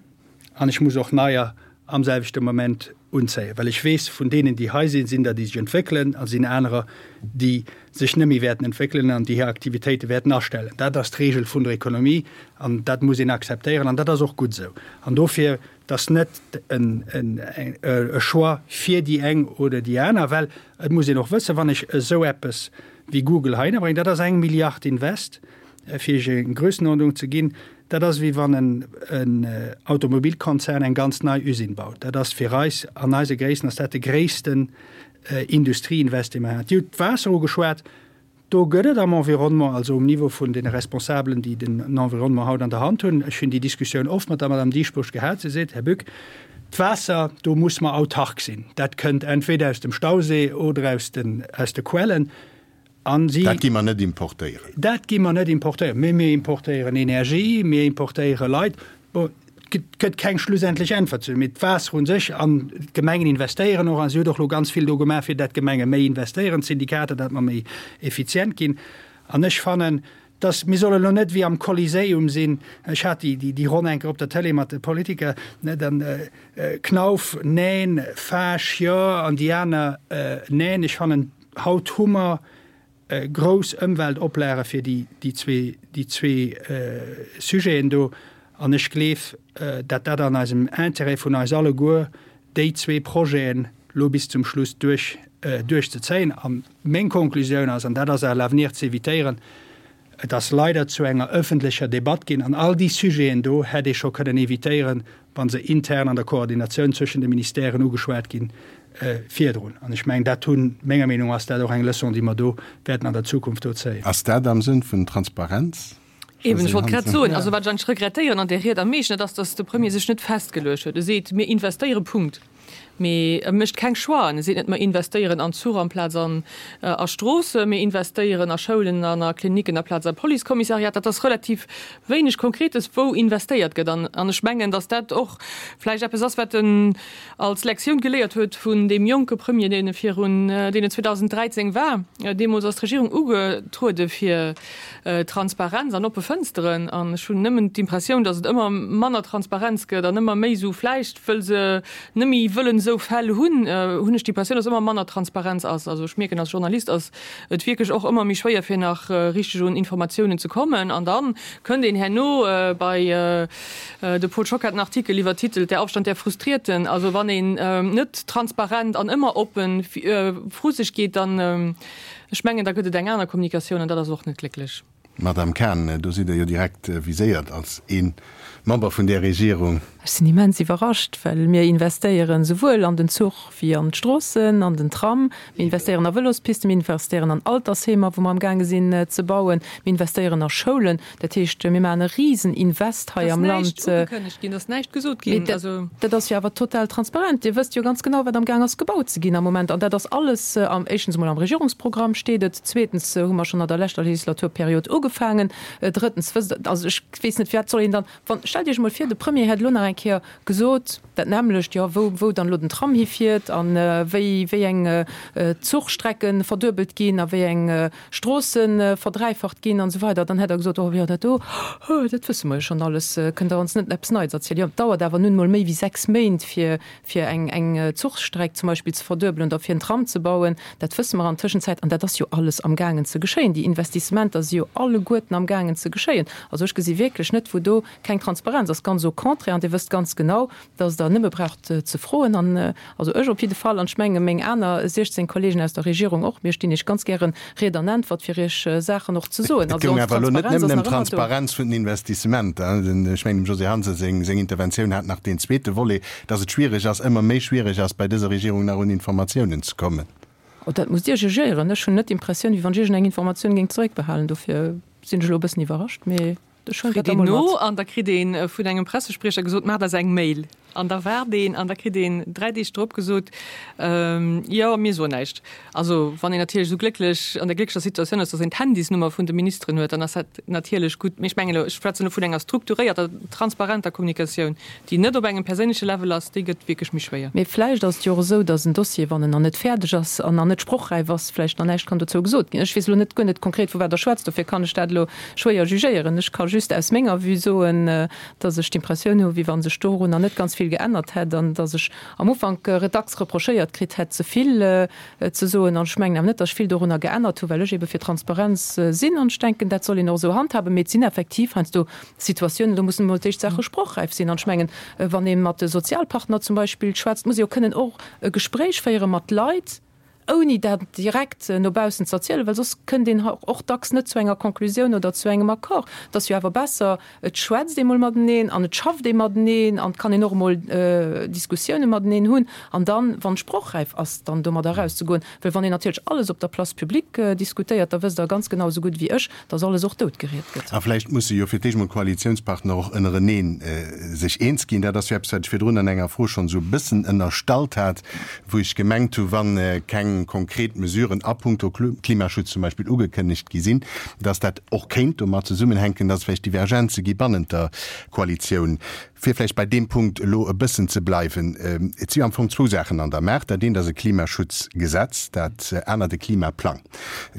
an ech muss och neier am selwechte Moment unzéien, well ech weess, vun deenen, déi hei sinn, sinn der, déi sech entwéckelen, a sinn anerer, déi sech net méi wäerten entwéckelen an déi hir Aktivitéite wäerten astellen. Dat ass d'Regel vun der Ekonomie an dat muss een akzeptéieren an dat ass och gutt esou. An dofir, et ass net e Choix fir déi eng oder déi aner, well et muss een och wëssen, wann ech esou eppes wéi Google heihinner bréngen, dat ass eng Milliard Invest, fir Iech eng Grössenordnung ze ginn, dat ass wéi wann en Automobilkonzern eng ganz nei Usine baut. Dat ass fir eis, an eise Gréissten ass dat de gréissten Industrieinvest, dee mer haten. Dir hutt d'Waasser ugeschwat. Do gëtt et am Environnement, also um Niveau vun deene Responsabelen, déi den Environnement haut an der Hand hunn, ech hunn déi Diskussioun oft mat der Madame Dieschbourg gehat, si seet, Här Bück, d'Waasser, do muss mer autark sinn. Dat kënnt entweder aus dem Stausee oder aus den, aus de Quellen. An si. Dat gi mer net importéieren. Dat gi mer net importéieren. Mee mir importéieren Energie, mir importéiere Leit. Bon, et gëtt keng schlussendlech Äntwert zu. Mee d'Waasser u sech, an d'Gemengen investéieren och, a si huet och elo ganz vill do gemaach, fir dat d'Gemenge méi investéieren, d'Syndikater, dat mer méi effizient ginn. An ech fannen, dass, mir solle elo net wéi am Coliseum sinn, ech hat déi, déi Ronn eng Kéier op der Télé mat de Politiker, ne, dann Knauf, neen, Fage, jo, an déi aner, neen. Ech fannen, haut hu mer grouss Ëmweltoplage fir déi zwee, déi zwee Sujeten do. An ech gleef, dat dat an eisem Intérêt vun eis alleguer, déi zwee Projeten elo bis zum Schluss duerch, duerchzezéien. A meng Konklusioun ass, an dat ass à l'avenir ze évitéieren, et ass leider zu enger öffentlecher Debatt ginn an all déi Sujeten do hätt ee scho kënnen évitéieren, wa se intern an der Koordinatioun zwëschen de Ministèren ugeschwat ginn virdrun. An ech mengen, dat hunn, menger Meenung ass dat och eng Leçon, déi mer do wäerten an der Zukunft do zéien. Ass dat am Sënn vun Transparenz? Eben, ech wollt grad soen, also wat ech eigentlech regrettéieren an där Ried am meeschten, dat ass, datt de Premier sech net festgeluecht huet. E seet, mir investéieren, Punkt. Mee e mécht keng Choixen. E seet net, mer investéieren an Zuch amplaz an a Stroossen, mir investéieren a Schoulen an a Klinicken aplaz a Policekommissariat. Dat ass relativ wéineg Konkretes, wou investéiert gëtt. An an ech mengen, datt dat och vläicht eppes ass, wat en als Lektioun geléiert huet vun deem jonke Premier, deen e virun, deen en zweedausend dräizéng war. Deemools ass d'Regierung ugetruede fir Transparenz an oppe Fënsteren. An ech hunn nëmmen d'Impressioun, datt et ëmmer manner Transparenz gëtt an ëmmer méi esou, vläicht wëll se net méi wëllen esou Fäll hunn, hunn ech d'Impressioun, datt ëmmer manner Transparenz ass. Also ech mierken, als Journalist ass et wierklech och ëmmer méi schwéier, fir nach richteg un Informatiounen ze kommen. An da kënnt een herno bei de Paul Schock hat en Artikel iwwertitelt, Der Aufstand der Frustrierten. Also wann een net transparent an ëmmer oppen vru sech geet, dann, ech mengen, da gëtt et eng aner Kommunikatioun an dat ass och net glécklech. Madame Cahen, do sidd Der jo direkt viséiert als ee Member vun där Regierung. Ech sinn immens iwwerrascht, well mir investéieren souwuel an den Zuch wéi an d'Stroossen, an den Tram. Mir investéieren a Vëlospisten, mir investéieren an Altersheemer, wou mer amgaange sinn ze bauen. Mir investéieren a Schoulen. Dat heescht, mir maachen e Riseninvest hei am Land. Et ass näischt ugekënnegt ginn, et ass näischt gesot ginn. Mee dat ass jo awer total transparent. Dir wësst jo ganz genau, wat amgaang ass gebaut ze ginn am Moment. An dat ass alles, éischtens emol am Regierungsprogramm steet et, zweetens hu mer schonn an der leschter Legislaturperiod ugefaangen, drëttens wësst Der, also ech weess net, firwat soll een dann, wann, stellt Iech emol vir, de Premier hätt elo nach eng Kéier gesot, dat nämmlecht, jo, wou, wou dann elo den Tram hifiert a wéi, wéi eng Zuchstrecke verduebelt ginn a wéi eng Stroosse verdräifacht ginn an esou weider, dann hätt Der gesot, oh jo, dat do, dat wësse mer jo schonn alles, kënnt Der ons net eppes Neits erzielen. Jo, et dauert awer nun emol méi wéi sechs Méint, fir, fir eng, eng Zuchstreck zum Beispill ze verduebelen oder fir en Tram ze bauen. Dat wësse mer an Tëschenzäit. An dat ass jo alles amgaangen ze geschéien. Déi Investissementer si jo alleguerten amgaangen ze geschéien. Also ech gesi wierklech net, wou do keng Transparenz ass. Ganz au contraire. An Dir wësst ganz genau, dass Der nëmme braucht ze froen. An also ech op jidde Fall, an ech menge meng aner siechzéng Kollegen aus der Regierung och, mir stinn Iech ganz gäre Ried an Äntwert, fir Iech Saachen och ze soen. Et Also goung ons awer elo net Transparenz nëmmen ass ëm nach ëmmer do. d'Transparenz vun den Investissementer. Ech mengen, dem Josée Hansen seng Interventioun hat nach deen zweete Volet, dass et schwierig ass, ëmmer méi schwierig ass, bei dëser Regierung nach un Informatiounen ze kommen. Oh, dat musst Dir jugéieren. Ech hunn net d'Impressioun, wéi wann ech iergendeng Informatioun géing zeréckbehalen. Dofir sinn ech elo e bëssen iwwerrascht, mee ech huelen Freet dat een emol no mat. an da kritt een vun engem Pressespriecher gesot, Maacht eis eng Mail. An da waart een an da kritt een dräi Deeg drop gesot, Jo, mir soen näischt. Also wann een natierlech esou glécklech, an der glécklecher Situatioun ass, datt een d'Handysnummer vun de Ministeren huet, dann ass dat natierlech gutt. Mee ech mengen elo, ech schwätzen elo vun enger strukturéierter, transparenter Kommunikatioun, déi net op engem perséinleche Level ass, déi gëtt wierklech méi schwéier. Mee vläicht ass et jo och esou, datt en Dossier, wann en nach net fäerdeg ass an nach net sprochräif ass, vläicht nach näischt kann dozou gesot ginn. Ech weess elo net guer net konkret, vu wat Der schwätzt, dofir kann ech dat elo schwéier jugéieren. Ech ka just aus menger Vue soen, datt ech d'Impressioun hu wéi wa sech dorunner net ganz vill geännert hätt an datt ech am Ufank dacks reprochéiert kritt hätt, ze vill ze soen. An ech mengen awer net, datt ech vill dorunner geännert hu, well ech ebe fir Transparenz sinn an ech denken, dat soll een och esou handhaben. Mee et sinn effektiv heiansdo Situatiounen, do mussen emol d'éischt Saache sprochräif sinn. An ech mengen, wann ee mat de Sozialpartner zum Beispill schwätzt, muss ee jo kënnen och e Gespréich féiere mat Leit, ouni dat direkt no baussen ze erzielen, well soss kënnt een och dacks net zu enger Konklusioun oder zu engem Accord. Et ass jo awer besser, et schwätzt ee mol mateneen an et schafft ee mateneen an et kann een och emol Diskussioune mateneen hunn an dann, wann sprochräif ass, dann domadder erauszegoen. Well wann een natierlech alles op der Place publique diskutéiert, da wësst Der ganz genau esou gutt wéi ech, dass alles och doutgeriet gëtt. A vläicht musse jo fir d'éischt mol d'Koalitiounspartner och ënnerenee sech eens ginn. Dat ass jo eppes, wat ech virdrun an enger Fro schonn esou e bëssen ënnerstallt hat, wou ech gemengt hu wann keng konkret Mesuren a puncto Klimaschutz zum Beispill ugekënnegt gi sinn, dass dat och kéint domat zesummenhänken, dass et vläicht Divergenze gi bannent der Koalitioun. Fir vläicht bei deem Punkt elo e bëssen ze bleiwen, Et si am Fong zwou Saachen an der Maach. Dat eent ass e Klimaschutzgesetz, dat anert e Klimaplang.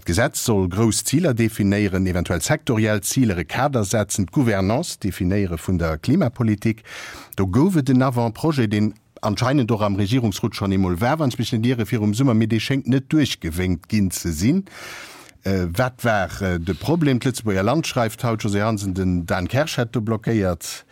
D'Gesetz soll grouss Ziler definéieren, eventuell sektoriell Ziler, e Kader setzen, d'Gouvernance definéiere vun der Klimapolitik. Do gouf et en Avant-projet, deen anscheinend och am Regierungsrot schonn eemol war, wann ech mech net iere, virum Summer, mee dee schéngt net duerchgewénkt ginn ze sinn. Wat war de Problem? D'Lëtzebuerger Land schreift haut, Josée Hansen, den Dan Kersch hätt do blockéiert.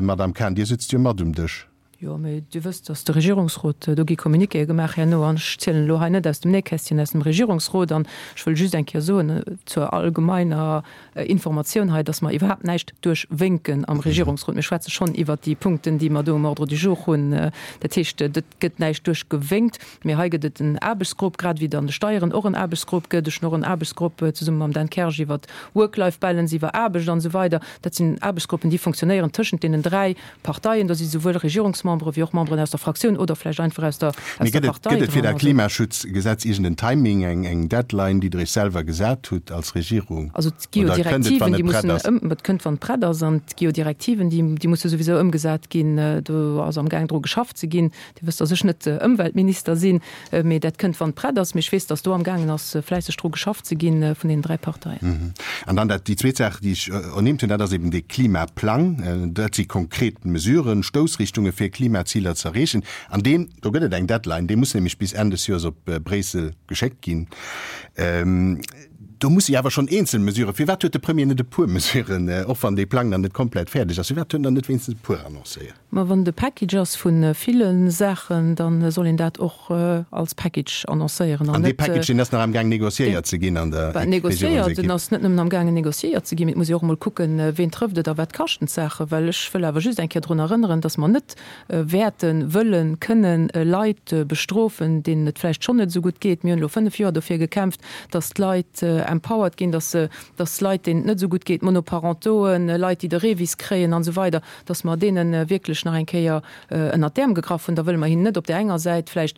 Madamm Cahen, Dir sëtzt jo mat um Dësch. Jo, mee Dir wësst, datt de Regierungsrot, do gi Communiquéë gemaach herno, an ech zielen elo hei net aus dem Nähkästchen, aus dem Regierungsrot. An ech wëll just eng Kéier soen zur allgemeiner Informatioun hei, datt mer iwwerhaapt näischt duerchwénken am Regierungsrot. Mir schwätze schonn iwwert déi Punkten, déi mer do um Ordre du jour hunn. Dat heescht, et gëtt näischt duerchgewénkt. Mee hei gëtt et en Aarbechtsgrupp, grad wéi et an de Steieren och en Aarbechtsgrupp gëtt. Ech hunn och en Aarbechtsgrupp zesumme mam Dan Kersch iwwert Work-Life-Balance, iwwer Aarbecht an esou weider. Dat sinn Aarbechtsgruppen, déi fonctionnéieren tëschent deenen dräi Parteien. Do si souwuel Regierungsmembere wéi och Memberen aus der Fraktioun oder vläicht einfach aus der, Mee aus der gëtt et, Partei gëtt et fir dran. dat Also. Klimaschutzgesetz iergend en Timing, eng, eng Deadline, déi Der Iech selwer gesat hutt als Regierung? Also Oder kënnt et, d'GEO-Direktiven, wann déi et prett mussen ass? ëm, et kënnt, wann et prett ass. An d'GEO-Direktiven, déi, déi musse souwisou ëmgesat ginn. Do ass amgaang dru geschafft ze ginn. Dir wësst, datt ech net Ëmweltminister sinn, mee dat kënnt, wann et prett ass. Mee ech weess, datt do amgaangen ass, fläisseg dru geschafft ze ginn vun deenen dräi Parteien. An dann dat, déi zweet Saach, déi ech ernimmt hunn, dat ass eben dee Klimaplang. Dat si konkret Mesuren, Stoussrichtunge fir Klimaziler ze erreechen. An deen, do gëtt et eng Deadline, dee muss nämlech bis Enn des Joers op Bréissel geschéckt ginn. Do musse jo awer schonn eenzel Mesuren, firwat huet de Premier net e puer Mesuren, och wann dee Plang nach net komplett fäerdeg ass, firwat huet en dann net wéinstens e puer annoncéiert? Ma wann et e Package ass vu ville Saachen, da soll een dat och als Package annoncéieren an An dee net. Package, deen ass nach amgaang négociéiert ze ginn an der Bah, négociéiert, Regierungsekipp. en ass net nëmmen amgaangen négociéiert ze ginn, mee et muss ee och emol kucken, ween trëfft et a wat kaschten d'Saachen. Well ech wëll awer just eng Kéier drun erënneren, datt mer net wäerten, wëllen, kënnen Leit bestrofen, deenen et vläicht schonn net esou gutt geet. Mir hunn elo fënnef Joer dofir gekämpft, datt d'Leit empowered ginn, dass se, dass Leit, deenen et net esou gutt geet, Monoparentoen, Leit, déi de Revis kréien an esou weider, dass mer deene wierklech nach eng Kéier ënnert d'Äerm gegraff hunn. Da wëlle mer hinnen net op där enger Säit vläicht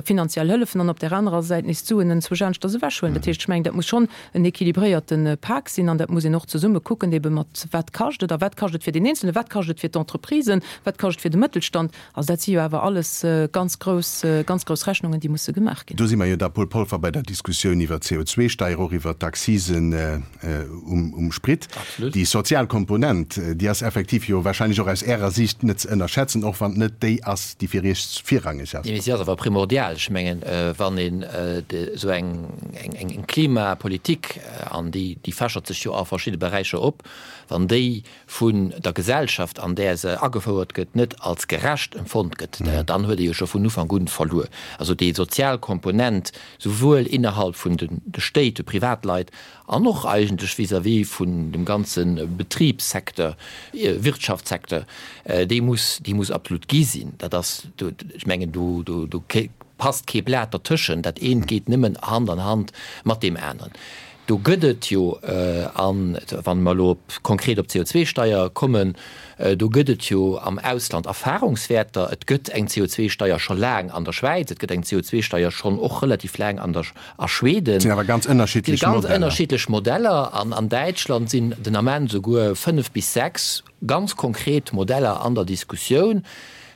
finanziell hëllefen an op där anerer Säit nees d'Suen enzwousch aneschters ewechhuelen. Dat heescht, ech mengen, dat muss schonn en équilibréierte Pak sinn an dat muss een och zesumme kucken, ebe mat wat kascht et a wat kascht et fir deen Eenzelnen, wat kascht et fir d'Entreprisen, wat kascht et fir de Mëttelstand. Also dat si jo awer alles ganz grouss, ganz grouss Rechnungen, déi musse gemaach ginn. Do si mer jo da, Paul Polfer, bei der Diskussioun iwwer d'C O zwei Steier, och iwwer d'Accisen um Sprit. Déi sozial Komponent, déi ass effektiv jo wahrscheinlech och aus Ärer Siicht net ze ënnerschätzen, och wann et net déi ass, déi fir Iech virrangeg ass. Nee, mee si ass awer primordial. Ech mengen, wann een esou eng Klimapolitik, an déi fächert sech jo a verschidde Beräicher op, wann déi vun der Gesellschaft, an där se agefouert gëtt, net als gerecht empfonnt gëtt, dann huet ee jo scho vun Ufank un verluer. Also déi sozial Komponent, souwuel innerhalb vun de Stéit, de Privatleit, an och eigentlech vis-à-vis vun dem ganze Betribssecteur, Wirtschaftssecteur, déi muss, déi muss absolut gi sinn. Dat ass, ech mengen, do, do, do passt kee Blat dertëschent. Dat eent geet nëmmen Hand an Hand mat deem aneren. Do gëtt et jo, an wa mer elo konkret op d'C O zwei Steier kommen, do gëtt et jo am Ausland Erfahrungswäerter. Et gëtt eng C O zwei Steier scho laang an der Schwäiz, et gëtt eng C O zwei Steier schonn och relativ laang an der, a Schweden. Dat sinn awer ganz ënnerschiddlech Modeller. Ganz ënnerschiddlech Modeller. An an Däitschland sinn den Ament esouguer fënnef bis sechs ganz konkret Modeller an der Diskussioun.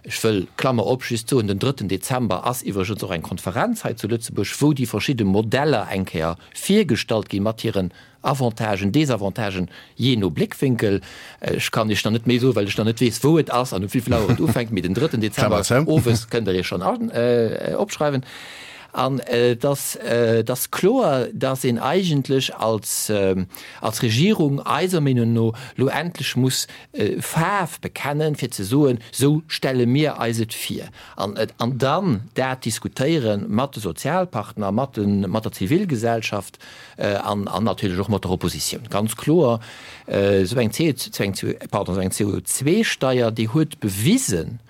Ech wëll, Klammer op, just soen, den drëtten Dezember ass iwwregens och eng Konferenz hei zu Lëtzebuerg, wou déi verschidde Modeller eng Kéier virgestallt ginn, mat hiren Avantagen, Desavantagen, jee no Bléckwinkel. Ech kann Iech nach net méi soen, well ech nach net weess, wou et ass an um wéivill Auer et ufänkt, mee den drëtten Dezember owes kënnt Der Iech schonn opschreiwen. An et ass, et ass kloer, dass een eigentlech als, als Regierung eiser Meenung no lo endlech muss Faarf bekennen, fir ze soen, sou stelle mir eis et vir. An, an dann dat diskutéiere mat de Sozialpartner, mat de, mat der Zivilgesellschaft an, an natierlech och mat der Oppositioun. Ganz kloer, esou eng C, esou eng, pardon, esou eng C O zwei Steier, déi huet bewisen,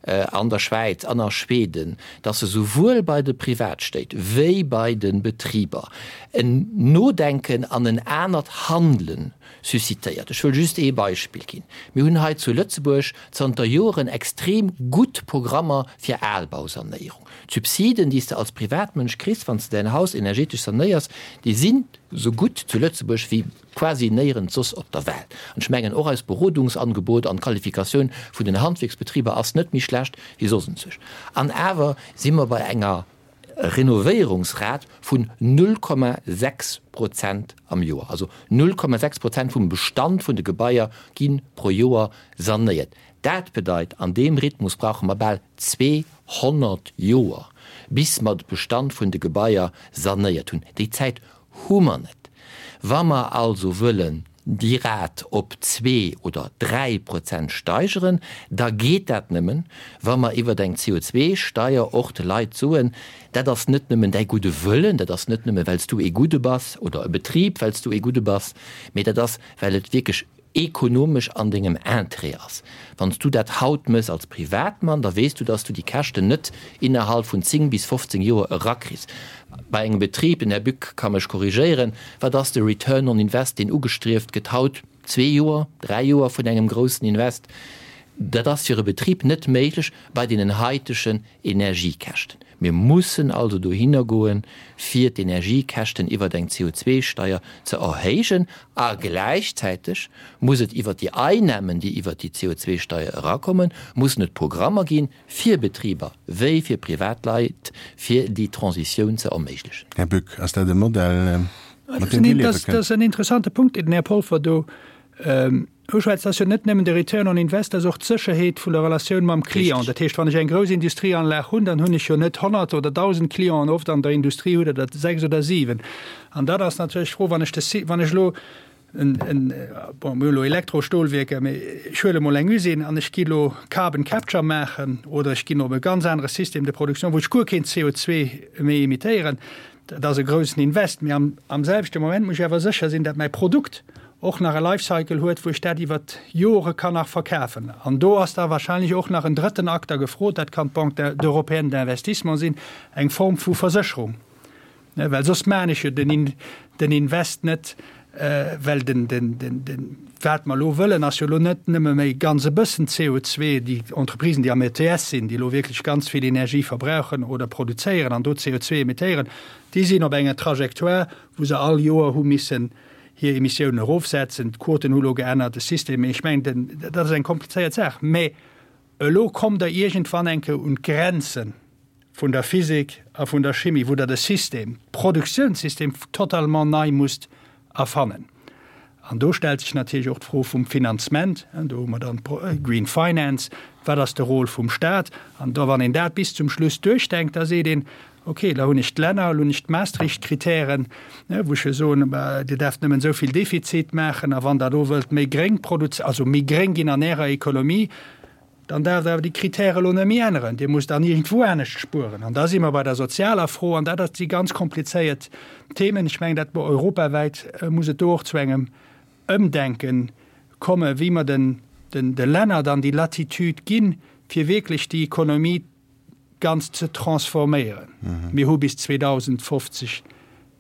an der Schwäiz an a Schweden, dass se souwuel bei de Privatstéit wéi bei de Betriber en Nodenken an en anert Handele suscitéiert. Ech wëll just ee Beispill ginn. Mir hunn hei zu Lëtzebuerg zanter Joren extrem gutt Programmer fir Albausanéierung. D'Subsiden, déi s de als Privatmënsch kriss, wann s de däin Haus energetesch sanéiers, déi sinn esou gutt zu Lëtzebuerg wéi quasi néierens soss op der Welt. An ech mengen, och eist Berodungsangebot an d'Qualifikatioun vun den Handwierksbetriber ass net méi schlecht wéi soss enzwousch. An awer si mer bei enger Renovéierungsrat vun null Komma sechs Prozent am Joer. Also null Komma sechs Prozent vum Bestand vun de Gebaier gi pro Joer sanéiert. Dat bedeit, an deem Rhythmus brauche mer bal zweehonnert Joer, bis mer de Bestand vun de Gebaier sanéiert hunn. Déi Zäit hu mer net. Wa mer also wëllen déi Rat op zwee oder dräi Prozent steigeren, da geet dat nëmmen, wa mer iwwer eng C O zwei Steier och de Leit soen, dat ass net nëmmen däi gudde Wëllen, dat ass net nëmmen, well s du ee Gudde bass oder e Betrib, well s du ee Gudde bass, mee dat ass, well et wierklech ekonomesch an dengem Interêt ass. Wann s du dat haut mëss als Privatmann, da weess du, dass du déi Käschten net innerhalb vun zéng bis fofzéng Joer erakriss. Bei engem Betrib, den Här Buck ka mech korrigéieren, wat ass de Return on Invest, deen ugestrieft gëtt haut? Zwee Joer, dräi Joer vun engem groussen Invest? Dat ass fir e Betrib net méiglech bei deenen haitegen Energiekäschten. Mir mussen also dohinner goen, fir d'Energiekäschten iwwer eng C O zwei Steier ze erhéijen, a gläichzäiteg muss et iwwer déi Einnahmen, déi iwwer déi C O zwei Steier erakommen, mussen et Programmer ginn fir Betriber wéi fir Privatleit, fir déi Transitioun ze erméiglechen. Här Buck, ass dat e Modell, mat deem Dir liewe kënnt? Dat ass en interessante Punkt, deen den Här Polfer do uschwätzt. Dat ass jo net nëmmen de Return on Invest, dat ass och d'Sécherheet vun der Relatioun mam Client. Richtig. Dat heescht, wann ech eng grouss Industrieanlag hunn, dann hunn ech jo net honnert oder dausend Clienten, oft an der Industrie hutt Der dat sechs oder siwen. An dat ass natierlech d'Fro, wann ech de Si-, wann ech elo en, en, bon, mir hu elo Elektrostolwierker, mee ech huele mol eng Usine an ech gi elo Carbon Capture maachen oder ech ginn op e ganz anere Système de production, wou ech guer keen C O zwei méi emittéieren. Dat ass e groussen Invest, mee am, am selwechte Moment muss ech awer sécher sinn, dat mäi Produkt och nach e Lifecycle huet, wou ech dat iwwer Jore kann nach verkafen. An do ass da wahrscheinlich och nach en drëtten Akter gefrot, dat kann d'Banque européenne d'investissement sinn, eng Form vu Versécherung. Ne, well soss maan ech jo den In-, den Invest net, well den, den, den, den, wat mer elo wëllen, ass jo elo net nëmme méi ganz e bëssen C O zwee, déi Entreprisen, déi am E T S sinn, déi elo wierklech ganz vill Energie verbrauchen oder produzéieren an do C O zwee emittéieren, déi sinn op enger Trajectoire, wou se all Joer hu missen hir Emissiounen erofsetzen. D'Quoten hu elo geännert, de System. Ech mengen, den, dat ass eng komplizéiert Saach. Mä elo kommt Der iergendwann eng Kéier un d'Grenze vun der Physik a vun der Chimie, wou Der de System, d'Produktiounssystem totalement nei musst erfannen. An do stellt sech natierlech och d'Fro vum Finanzement. Do hu mer dann d'Green Finance. Wat ass de Rôle vum Staat? An da, wann een dat bis zum Schluss duerchdenkt, da seet een, okay, da hunn ech d'Länner, elo hunn ech d'Maastricht-Kritären, wou ech jo soen, Dir däerft nëmmen esou vill Defizit maachen, a wann Der do wëllt méi gréng produz-, also méi gréng ginn an Ärer Ekonomie, dann däerft Der awer déi Kritäre elo net méi änneren. Dir musst dann iergendwou anescht spueren. An da si mer bei der sozialer Fro, an dat ass déi ganz komplizéiert Themen. Ech mengen, dat europawäit muss et do och zu engem Ëmdenken kommen, wéi mer den, den, de Länner dann déi Latitude ginn, fir wierklech déi Ekonomie ganz ze transforméieren. Mhm. Mir hu bis zweedausendfofzeg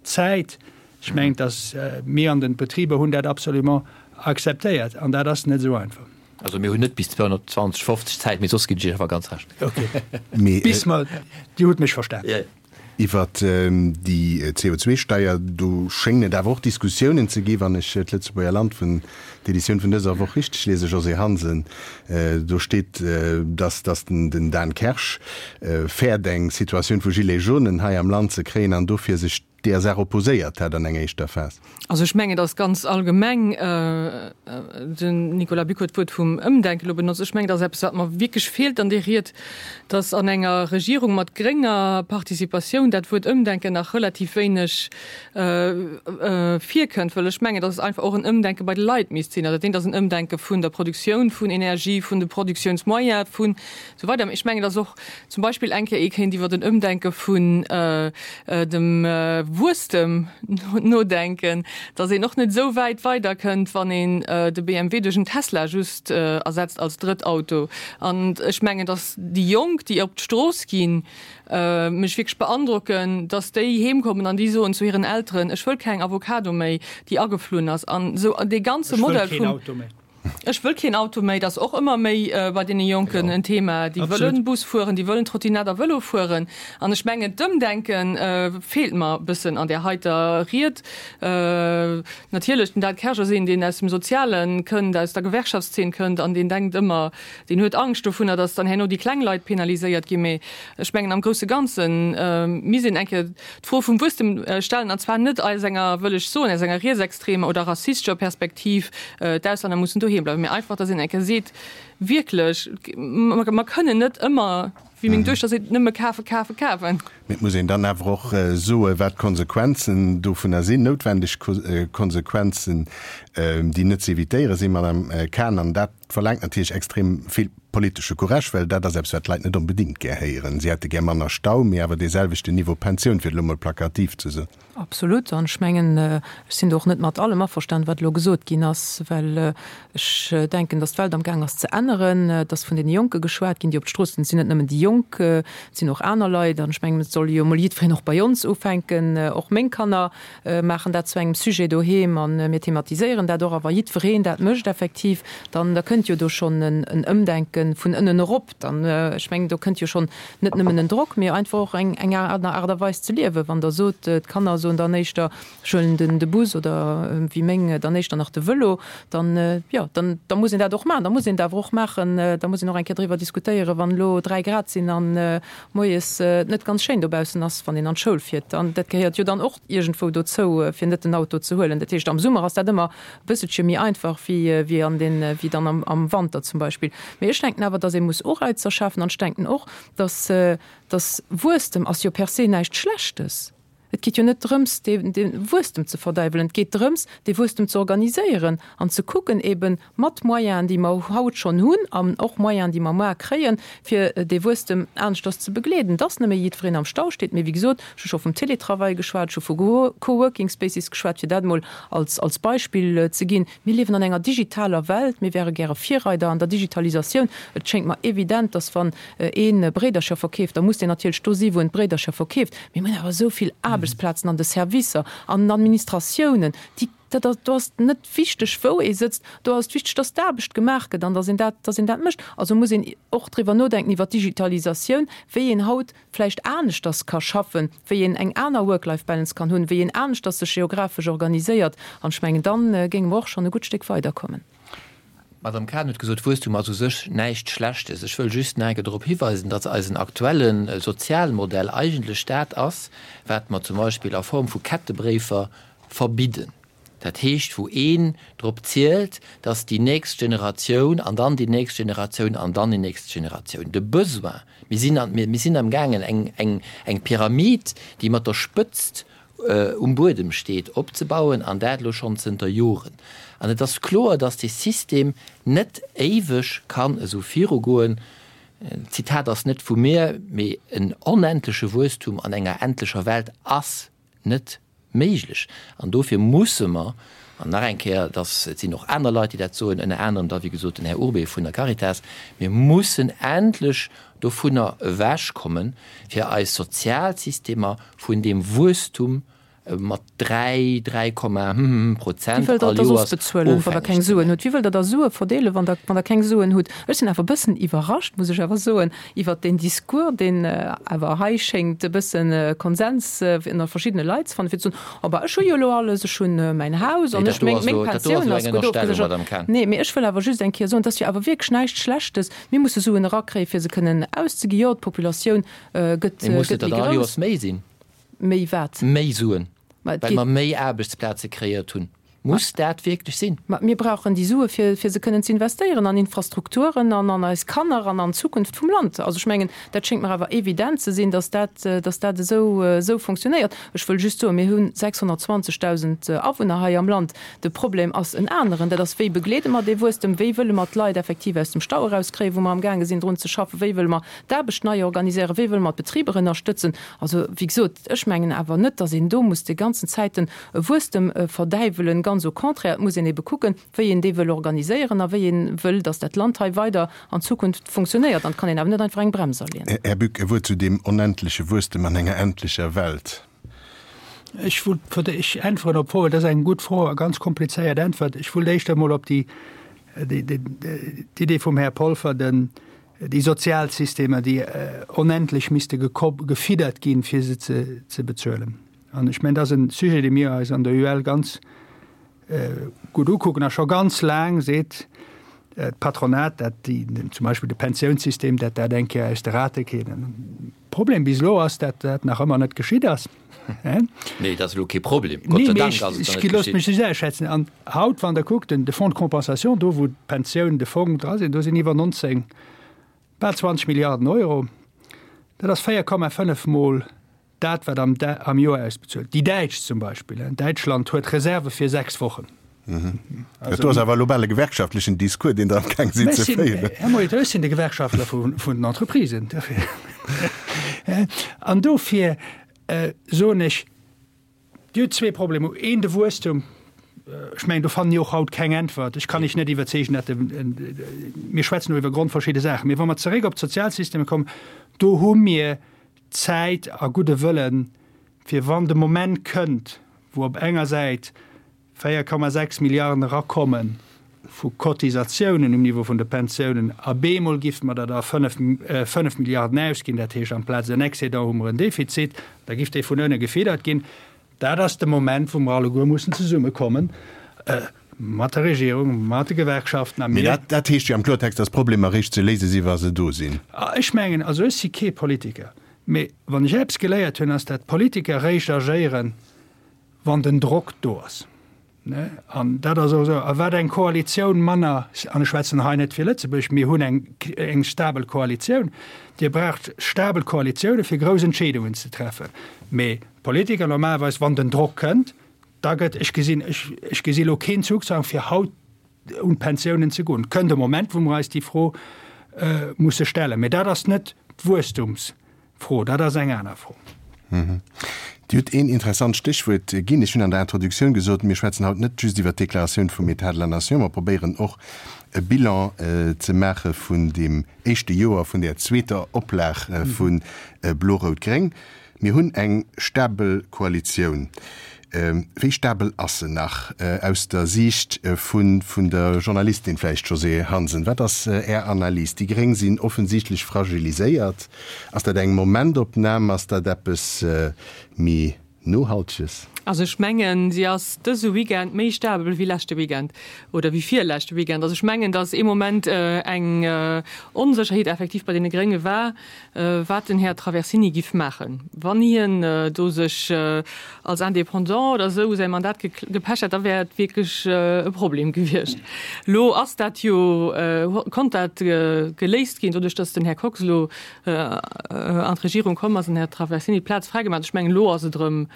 Zäit. Ech mengen, dass mir an den Betriber hunn dat absolument akzeptéiert, an dat ass net esou einfach. Also mir hunn net bis zweihundertzwanzig fofzeg Zäit, mee soss ginn ech Iech awer ganz Recht. Okay. Mee, Bis mer, Dir hutt mech verstan. Ja. Iwwer déi C O zwei Steier, do schéngen et awer och Diskussiounen ze ginn, wann ech d'Lëtzebuerger Land vun d'Editioun vun dëser Woch richteg lese, Josée Hansen. Do steet, dass, dass den, den Dan Kersch fäert, eng Situatioun vu Gilets jaunes hei am Land ze kréien an dofir sech deer Saach opposéiert hätt an enger éischter Phas. Also ech mengen, dass ganz allgemeng, den Nicolas Buck huet d'Wuert vum Ëmdenken elo benotzt, ech mengen, dass eppes, wat mer wierklech feelt an där Ried, dass an enger Regierung mat grénger Participatioun dat Wuert Ëmdenken nach relativ wéineg virkënnt, well ech mengen, dass es einfach och en Ëmdenke bei de Leit misst sinn. Also dat eent ass en Ëmdenke vun der Produktioun vun Energie, vun de Produktiounsmoyens, vun esou weider. Mä ech mengen, dass och zum Beispill eng Kéier ee kéint iwwer en Ëmdenke vun dem Wuesstem nodenken, dass een och net esou wäit weiderkënnt, wann een de B M W duerch en Tesla just ersetzt als Drëttauto. An ech mengen, dass déi Jonk, déi op d'Strooss ginn, mech wierklech beandrocken, dass déi heemkommen an déi soen zu hiren Elteren, ech wëll keng Avocado méi, déi ageflunn ass. An esou dee ganze Ech wëll Modell keen vum Auto méi. Ech wëll keen Auto méi, dat ass och ëmmer méi bei deene Jonken en Thema. Déi wëllen Bus fueren, déi wëllen Trottinett a Vëlo fueren. An ech mengen, d'Ëmdenke feelt mer e bëssen an där heiter Ried. Natierlech, den Dan Kersch ass een, deen aus dem Sozialen kënnt, aus der Gewerkschaftszeen kënnt an deen denkt ëmmer, deen huet Angscht dovunner, datt dann herno déi kleng Leit penaliséiert ginn. Mee ech mengen, am grousse Ganzen misst een eng Kéier d'Fro vum Wuesstem stellen, an zwar net aus enger, wëll ech soen, aus enger rietsextremer oder rassistescher Perspektiv, d'Auslänner mussen doheem bleiwen, mee einfach, datt een eng Kéier seet, wierklech, mer kënnen net ëmmer, wéi meng Duechter seet, nëmme kafen, kafen, kafen. Mee et muss een dann awer och soen, wat d'Konsequenzen dovunner sinn, noutwendeg Konsequenzen, déi net ze evitéiere sinn, Madame Cahen. An dat verlaangt natierlech extrem vill politesche Courage, well dat ass eppes, wat d'Leit net onbedéngt gär héieren. Si hätte gär manner Stau, mee awer dee selwechten Niveau Pensioun, fir et elo mol plakativ ze soen. Absolut. An ech mengen, ech sinn do och net mat allem averstanen, wat elo gesot ginn ass, well ech denken, datt d'Welt am Gaang ass ze änneren, datt vun deene Jonke geschwat ginn, déi op d'Strooss sinn. Et sinn net nëmmen déi Jonk, et sinn och aner Leit. An ech mengen, et soll jo emol jiddwereen och bei ons ufänken. Och meng Kanner maachen dat zu engem Sujet doheem an mir thematiséieren dat och. A wa jiddwereen dat mécht effektiv, dann da kënnt jo do schonn en Ëmdenken vun ënnen erop. Dann, ech mengen, do kënnt jo schonn net nëmmen en Drock, mee einfach och eng, eng aner Aart a Weis ze liewen. Wann der sot, d'Kanner soen dann éischter, ech huelen den, de Bus oder wéi meng dann éischter nach de Vëlo, dann, jo, dann, da muss een dat och maachen. Da muss een dat awer och maachen, da muss een och eng Kéier driwwer diskutéieren, wann elo dräi Grad sinn an moies et net ganz schéin dobaussen ass, wann een an d'Schoul fiert. An dat gehéiert jo dann och iergendwou dozou, fir net den Auto ze huelen. Dat heescht, am Summer ass dat ëmmer e bësselche méi einfach wéi, wéi an den, wéi dann am, am Wanter zum Beispill. Mee ech denken awer, datt ee muss Ureizer schafen an ech denken och, datt, datt Wuesstem ass jo per se näischt Schlechtes. Et geet jo net drëms, de, de Wuesstem ze verdeiwelen. Et geet drëms, de Wuesstem ze organiséieren an ze kucken eben mat Moyenen, déi mer haut schonn hunn an och Moyenen, déi mer muer kréien, fir de Wuesstem aneschters ze begleeden. Dass net méi jiddwereen am Stau steet, mee wéi gesot, ech hu scho vum Teletravail geschwat, ech hu vu Coworking Spaces geschwat, fir dat emol als, als Beispill ze ginn. Mir liewen an enger digitaler Welt, mir wäre gäre Virreider an der Digitalisatioun. Et schéngt mer evident, dass wann een Bréidercher verkeeft, da muss deen natierlech do si, wou en d'Bréidercher verkeeft. Mir hunn awer esou vill Aarbecht Aarbechtsplazen an de Servicer, an den Administratiounen, déi, dat ass, do ass net wichteg, wou ee sëtzt, do ass wichteg, dass d'Aarbecht gemaach gëtt an dass een dat, dass een dat mécht. Also muss een och driwwer nodenken, iwwer d'Digitalisatioun, wéi een haut vläicht aneschters ka schaffen, wéi een eng aner Work-Life-Balance kann hunn, wéi een aneschters sech geographesch organiséiert. An ech mengen, dann géinge mer och schonn e gutt Stéck weiderkommen. D'Madame Cahen huet gesot, Wuesstum ass u sech näischt Schlechtes. Ech wëll just nach eng Kéier drop hiweisen, datt eisen aktuelle Sozialmodell eigentlech dat ass, wat mer zum Beispill a Form vu Kettebréifer verbidden. Dat heescht, wou een drop zielt, datt déi nächst Generatioun an dann déi nächst Generatioun an dann déi nächst Generatioun de Besoin, mir sinn an, mir sinn amgaangen eng, eng, eng Pyramid, déi mat der Spëtzt um Buedem steet, opzebauen, an dat elo schonn zënter Joren. An et ass kloer, datt dee System net éiweg kann esou virugoen. D'Zitat ass net vu mir, mee en onendleche Wuesstum an enger endlecher Welt ass net méiglech. An dofir musse mer, an nach eng Kéier, et ass, et sinn och aner Leit, déi dat soen, ënner anerem da wéi gesot den Här Urbé vun der Caritas, mir mussen endlech dovunner ewechkommen, fir eis Sozialsystemer vun deem Wuesstum mat dräi, dräi Komma hm Wie Prozent wëllt der all da soss Joers bezuelen, wann der ofhängeg keng ze Suen maachen. hutt? Wie wëllt der da Sue verdeelen, wann der, wann der keng Suen hutt? Ech sinn awer e bëssen iwwerrascht, muss ech awer soen, iwwert deen Discours, deen awer hei schéngt e bëssen Konsens ënner verschiddene Leit ze fannen, fir ze soen, Oh bah, ech hu jo elo alles, ech hunn mäin Haus Nee, an dat ech, do meng, ass meng elo, dat do ass Pensioun elo ass eng gutt Ënnerstellung, ofgeséchert. Madame Cahen. Nee, mee ech wëll awer just eng Kéier soen, et ass jo awer wierklech näischt Schlechtes. Mir musse Suen erakréien, fir se kënnen auszeginn. Jo, d'Populatioun gëtt, Mee mussen gëtt et der méi dann all grouss. Joers méi sinn? Méi wat? Méi Suen, Ma et well geet. mer méi Aarbechtsplaze kreéiert hunn. Muss dat wierklech sinn? Ma mir brauchen déi Sue fir, fir se kënnen ze investéieren an Infrastrukturen an an eis Kanner an an d'Zukunft vum Land. Also ech mengen, dat schéngt mer awer evident ze sinn, dass dat, dass dat esou, esou funktionéiert. Ech wëll just soen, mir hunn sechshonnertzwanzegdausend Awunner hei am Land. De Problem ass en aneren, dat ass, wéi begleede mer dee Wuesstem, wéi wëlle mer d'Leit effektiv aus dem Stau erauskréien, wou mer amgaange sinn drun ze schaffen, wéi wëlle mer d'Aarbecht nei organiséieren, wéi wëlle mer d'Betriber ënnerstëtzen. Also, wéi gesot, ech mengen awer net, dass een do muss déi ganzen Zäiten e Wuesstem verdäiwelen. Ganz au contraire, et muss een ebe kucken, wéi een dee wëll organiséieren a wéi ee wëll, dass dat Land hei weider an Zukunft funktionéiert. An et kann een awer net einfach eng Brems aleeën. Här Buck, e Wuert zu deem onendleche Wuesstem an enger endlecher Welt. Ech wollt fir d'éischt äntweren op d'Fro, well dat ass eng gutt Fro a ganz komplizéiert Äntwert. Ech wollt éischter emol op déi, déi, déi, d'Idee vum Här Polfer, den, déi Sozialsystemer, déi onendlech misste gefiddert ginn, fir se ze, ze bezuelen. An ech mengen, dat ass e Sujet, dee mir eis an der U L ganz gutt ukucken a scho ganz laang, seet d'Patronat, dat déi, zum Beispill de Pensiounssystem, dat dat eng Kéier aus de Rate kéint. Problem bis elo ass, dat dat nach ëmmer net geschitt ass. Nee, dat ass elo kee Problem. Gott sei Dank ass et nach net geschitt. geschitt. Looss mech schätzen. An haut, wann Der kuckt, den, de Fonds de compensation, do wou d'Pensioun, de Fong dra sinn, do sinn iwwer neunzéng, bal zwanzeg Milliarden Euro. Dat ass véier Komma fënnef Mol dat, wat am, am Joer ausbezuelt. Déi Däitsch zum Beispill, Däitschland huet Reserve fir sechs Wochen. Mhm. Also, dat ass awer elo bal e gewerkschaftlechen Discours, deen Der amgaang sidd ze féieren. Här Molitor, ech sinn de Gewerkschaftler vun, vun den Entreprisen. An dofir äh, soen ech, Dir hutt zwee Problemer. Een, de Wuesstum. Ech mengen, do fannen ech och haut keng Äntwert. Ech kann lech net iwwerzeegen, dat de, mir schwätzen elo iwwer grondverschidde Saachen. Mee wa mer zeréck op d'Sozialsysteme kommen, do hu mir Zäit a gudde Wëllen, fir wann de Moment kënnt, wou op enger Säit véier Komma sechs Milliarden erakomme vu Cotisatiounen um Niveau vun de Pensiounen, a bemol giffe mer der da fënnef, fënnef Milliarden ausginn, dat heescht amplaz en Excédent hu mer en Defizit, da giff dee vun ënne gefiddert ginn. Dat ass de Moment, wou mer alleguer mussen zesummekommen, mat der Regierung, mat de Gewerkschaften a Mee mir. dat, dat heescht jo am Kloertext, dass d'Problemer eréischt ze léise si wa se do sinn. Ech mengen, also ech si kee Politiker, mee wann ech eppes geléiert hunn, ass dat d'Politiker eréischt agéieren, wann den Drock do ass. An dat ass och esou. A wat eng Koalitioun manner, an ech schwätzen hei net fir Lëtzebuerg, mir hunn eng, eng stabel Koalitioun, Dir braucht stabel Koalitioune fir grouss Entscheedungen ze treffen. Mee d'Politiker normalerweis, wann den Drock kënnt, da gëtt, ech gesinn, ech, ech gesi lo keen Zugzwang fir haut un d'Pensiounen ze goen. Et kënnt e Moment, wou mer eis déi Fro musse stellen. Mee dat ass net d'Wuesstumsfro, dat ass eng aner Fro. Dir hutt een interessant Stéchwuert ginn. Ech hunn an der Introduktioun gesot, mir schwätzen haut net just iwwert d'Deklaratioun vum État de la Nation, mer probéieren och e Bilan ze maache vun deem éischte Joer vun där zweeter Oplag vu Blo-Rout-Gréng. Mir hunn eng stabel Koalitioun. Wéi stabel ass se nach aus der Siicht vun vun der Journalistin vläicht, Josée Hansen? Wat ass Är Analys? Déi Gréng sinn offensichtlech fragiliséiert. Ass dat eng Momentopnam? Ass dat eppes méi Nohalteges? Also ech mengen, si ass dëse Weekend méi stabel wéi leschte Weekend oder wéi virleschte Weekend. Also ech mengen, datt ee Moment eng Onsécherheet effektiv bei deene Grénge war, wat den Här Traversini giff maachen, wann hien do sech als Indépendant oder esou säi Mandat gepecht hätt, da wär et wierklech e Problem gewiescht. Elo ass dat jo, konnt dat geléist ginn, doduerch datt den Här Kox elo an d'Regierung komm ass an den Här Traversini d'Plaz fräigemaach huet. Ech mengen, elo ass et erëm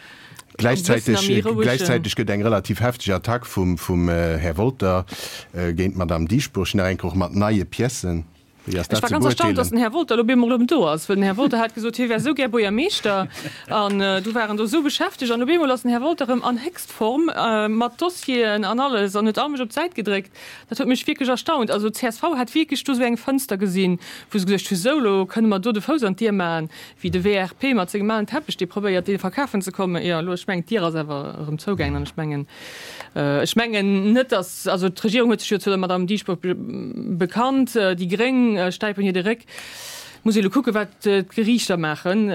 Gläichzäiteg gëtt eng relativ hefteg Attack vum Här Wolter géint d'Madame Dieschbourg, nach eng Kéier och mat neie Piècen. Wéi ass dat ze beurteelen? Ech war ganz erstaunt, datt den Här Wolter elo op eemol erëm do ass, well den Här Wolter hat gesot, hie wär esou gär Buergermeeschter an du war en do esou beschäftegt an op eemol ass den Här Wolter erëm an Héchstform mat Dossieren an alles an huet all mech op d'Säit gedréckt. Dat huet mech wierklech erstaunt. Also d'CSV hat wierklech do esou eng Fënster gesinn, wou se geduecht hu, sou, elo kënne mer do de Fouss an d'Dier maachen, wéi de WRP mat sengem alen Teppech, dee probéiert, dee verkafen ze kommen. Jo, elo, ech mengen, d'Dier ass awer erëm zougaangen an ech mengen, ech mengen net, datt, also d'Regierung huet sech jo zu der Madame Dieschbourg bekannt, déi Gréng stäipen hir de Réck. Muss ee elo kucken, wat d'Geriichter maachen,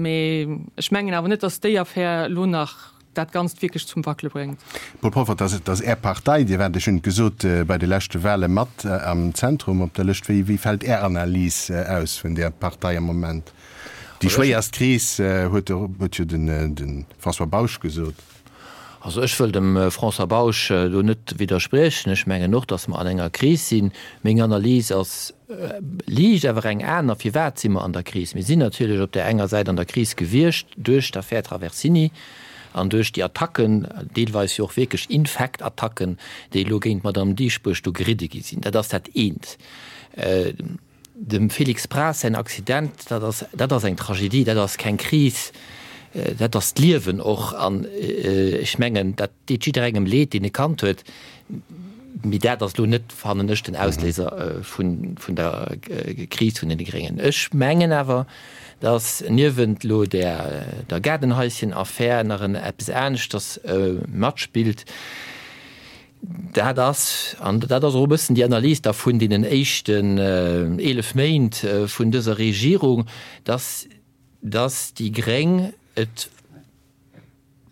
mee ech mengen awer net, datt déi Affär elo nach dat Ganzt wierklech zum Wackele bréngt. Paul Poffert, dat ass Är Partei, Dir waart, ech hunn et gesot, bei de leschte Wahle mat am Zentrum op der Lëscht. Wéi fält Är Analys aus vun där Partei am Moment? Déi schwéierst Kris, huet jo de François Bausch gesot. Also ech wëll dem François Bausch do net widderspriechen. Ech mengen och, datt mer an enger Kris sinn. Meng Analys ass liicht awer eng aner. Firwat si mer an der Kris? Mir sinn natierlech op där enger Säit an der Kris gewiescht duerch d'Affär Traversini an duerch déi Attacken, deelweis jo och wierklech infekt Attacken, déi elo géint d'Madame Dieschbourg do geridde gi sinn. Dat ass dat eent. Dem Félix Braz säin Accident, dat ass, dat ass eng Tragedie, dat ass keng Kris, dat ass d'Liewen och. An ech mengen, dat deet jidderengem Leed, deen e Kand huet, mee dat ass elo net, fannen ech, den Ausléiser vun, vun der Kris vun deene Gréngen. Ech mengen awer, datt niewent elo där, der Gaardenhaischen-Affär nach en eppes aneschters matspillt. Dat ass, an dat ass och e bëssen déi Analys da vun deenen éischten eelef Méint vun dëser Regierung, dass, dass déi Gréng et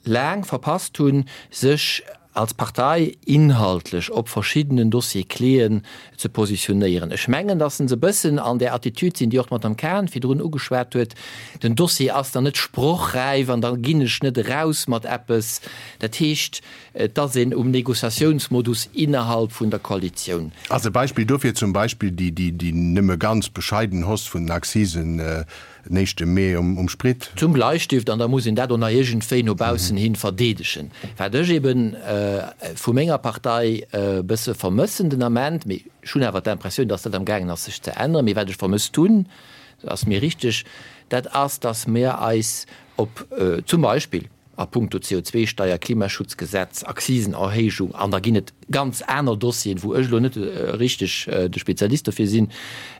laang verpasst hunn, sech als Partei inhaltlech op verschiddenen Dossier-cléen ze positionéieren. Ech mengen, dass se e bëssen an där Attitüd sinn, déi och d'Madame Cahen virdrun ugeschwat huet, Den Dossier ass dann net sprochräif an da ginn ech net eraus mat eppes. Dat heescht, et ass een um Négociatiounsmodus innerhalb vun der Koalitioun. Ass e Beispill dofir zum Beispill déi nëmme ganz bescheiden Hausse vun den Accisen den éischte Mee um Sprit. Zum Bleistift, an da muss een dat och nach iergendwéi no baussen hin verdeedegen. Wat ech ebe vu menger Partei e bësse vermëssen den Ament, mee ech hunn awer d'Impressioun, dass dat amgaangen ass sech ze änneren, mee wat ech vermësst hunn, dat ass mir richteg, dat ass, dass mir eis op zum Beispill a puncto C O zwei Steier, Klimaschutzgesetz, Akzisenerhéijung, an da ginn et ganz aner Dossieren, wou ech elo net richteg de Spezialist dofir sinn,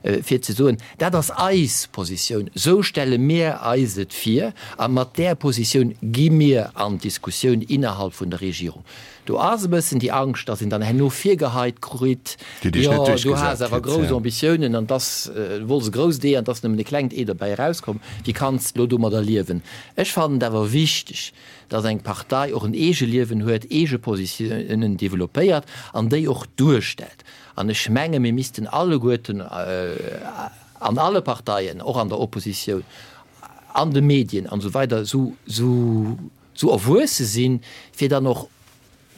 fir ze soen, dat ass eis Positioun, esou stelle mir eis et vir a mat där Positioun gi mir an d'Diskussioun innerhalb vun der Regierung. Do ass e bëssen déi Angscht, datt een dann herno virgeheit kritt, jo, du has awer grouss Ambitiounen an dass, du wollts e grousst Ee an 't ass nëmmen e klengt Ee derbäi erauskomm, wéi kanns de elo domadder liewen? Ech fannen et awer wichteg, datt eng Partei och en Eegeliewen huet, eege Positiounen developpéiert an déi och duerstellt. An ech menge mir missten alleguerten an alle Parteien, och an der Oppositioun, an de Medien an esou weider esou erwuesse sinn, fir dann och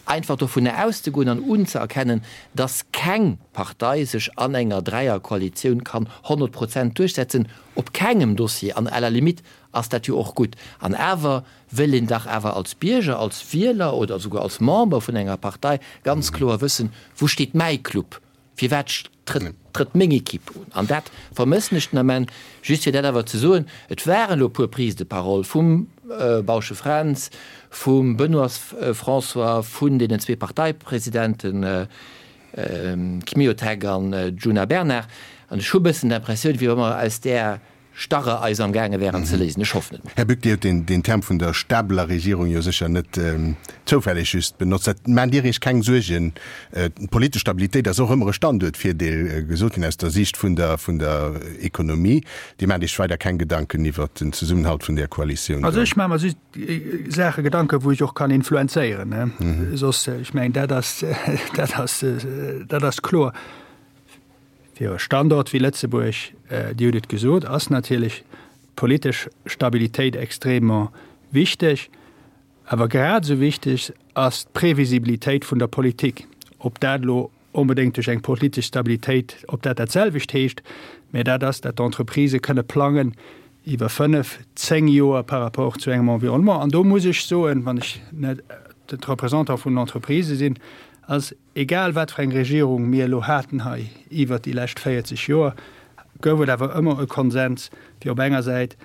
einfach dovunner auszegoen an unzëerkennen, dass keng Partei sech an enger Dräierkoalitioun kann honnert Prozent duerchsetzen, op kengem Dossier, an à la limite ass dat jo och gutt. An awer wëll een dach awer als Bierger, als Wieler oder souguer als Member vun enger Partei ganz kloer wëssen, Wou steet mäi Club? Firwat trëtt meng Equipe un? An dat vermëssen ech den Ament. Just fir dat awer ze soen, et waren elo e puer Prises de parole vum Bausche Fränz, vum Benoist François, vun deenen zwee Parteipresidenten Kmiotek an Djuna Bernard. An ech hu e bëssen d'Impressioun, wéi wa mer aus där Starre eis am gaange wären ze léisen. Ech hoffen et. Här Buck, Dir hutt deen Term vun der stabeler Regierung jo sécher net zoufälleg just benotzt. Dat maacht Dir Iech keng Suergen? D'politesch Stabilitéit ass och ëmmer e Standuertvirdeel, gesot ginn aus der Siicht vun der vun der Ekonomie. Dir maacht Iech weider keng Gedanken iwwert den Zesummenhalt vun där Koalitioun do? Also ech maache mer just Saache Gedanken, wou ech och kann influenzéieren. Soss, ech mengen, dat ass dat ass dat ass kloer. Fir e Standort wéi Lëtzebuerg, Dir hutt et gesot, ass natierlech d'politesch Stabilitéit extrêmement wichteg. Awer grad esou wichteg ass d'Previsibilitéit vun der Politik. Ob dat elo onbedéngt duerch eng politesch Stabilitéit, ob dat dat selwecht heescht, mä dat ass, datt d'Entreprisë kënne plangen iwwer fënnef, zéng Joer par rapport zu engem Environnement. An do muss ech soen, wann ech net de Représentant vun den Entreprisë sinn, ass, egal wat fir eng Regierung mir elo haten hei iwwert déi lescht véierzeg Joer, gouf et awer ëmmer e Konsens, fir op enger Säit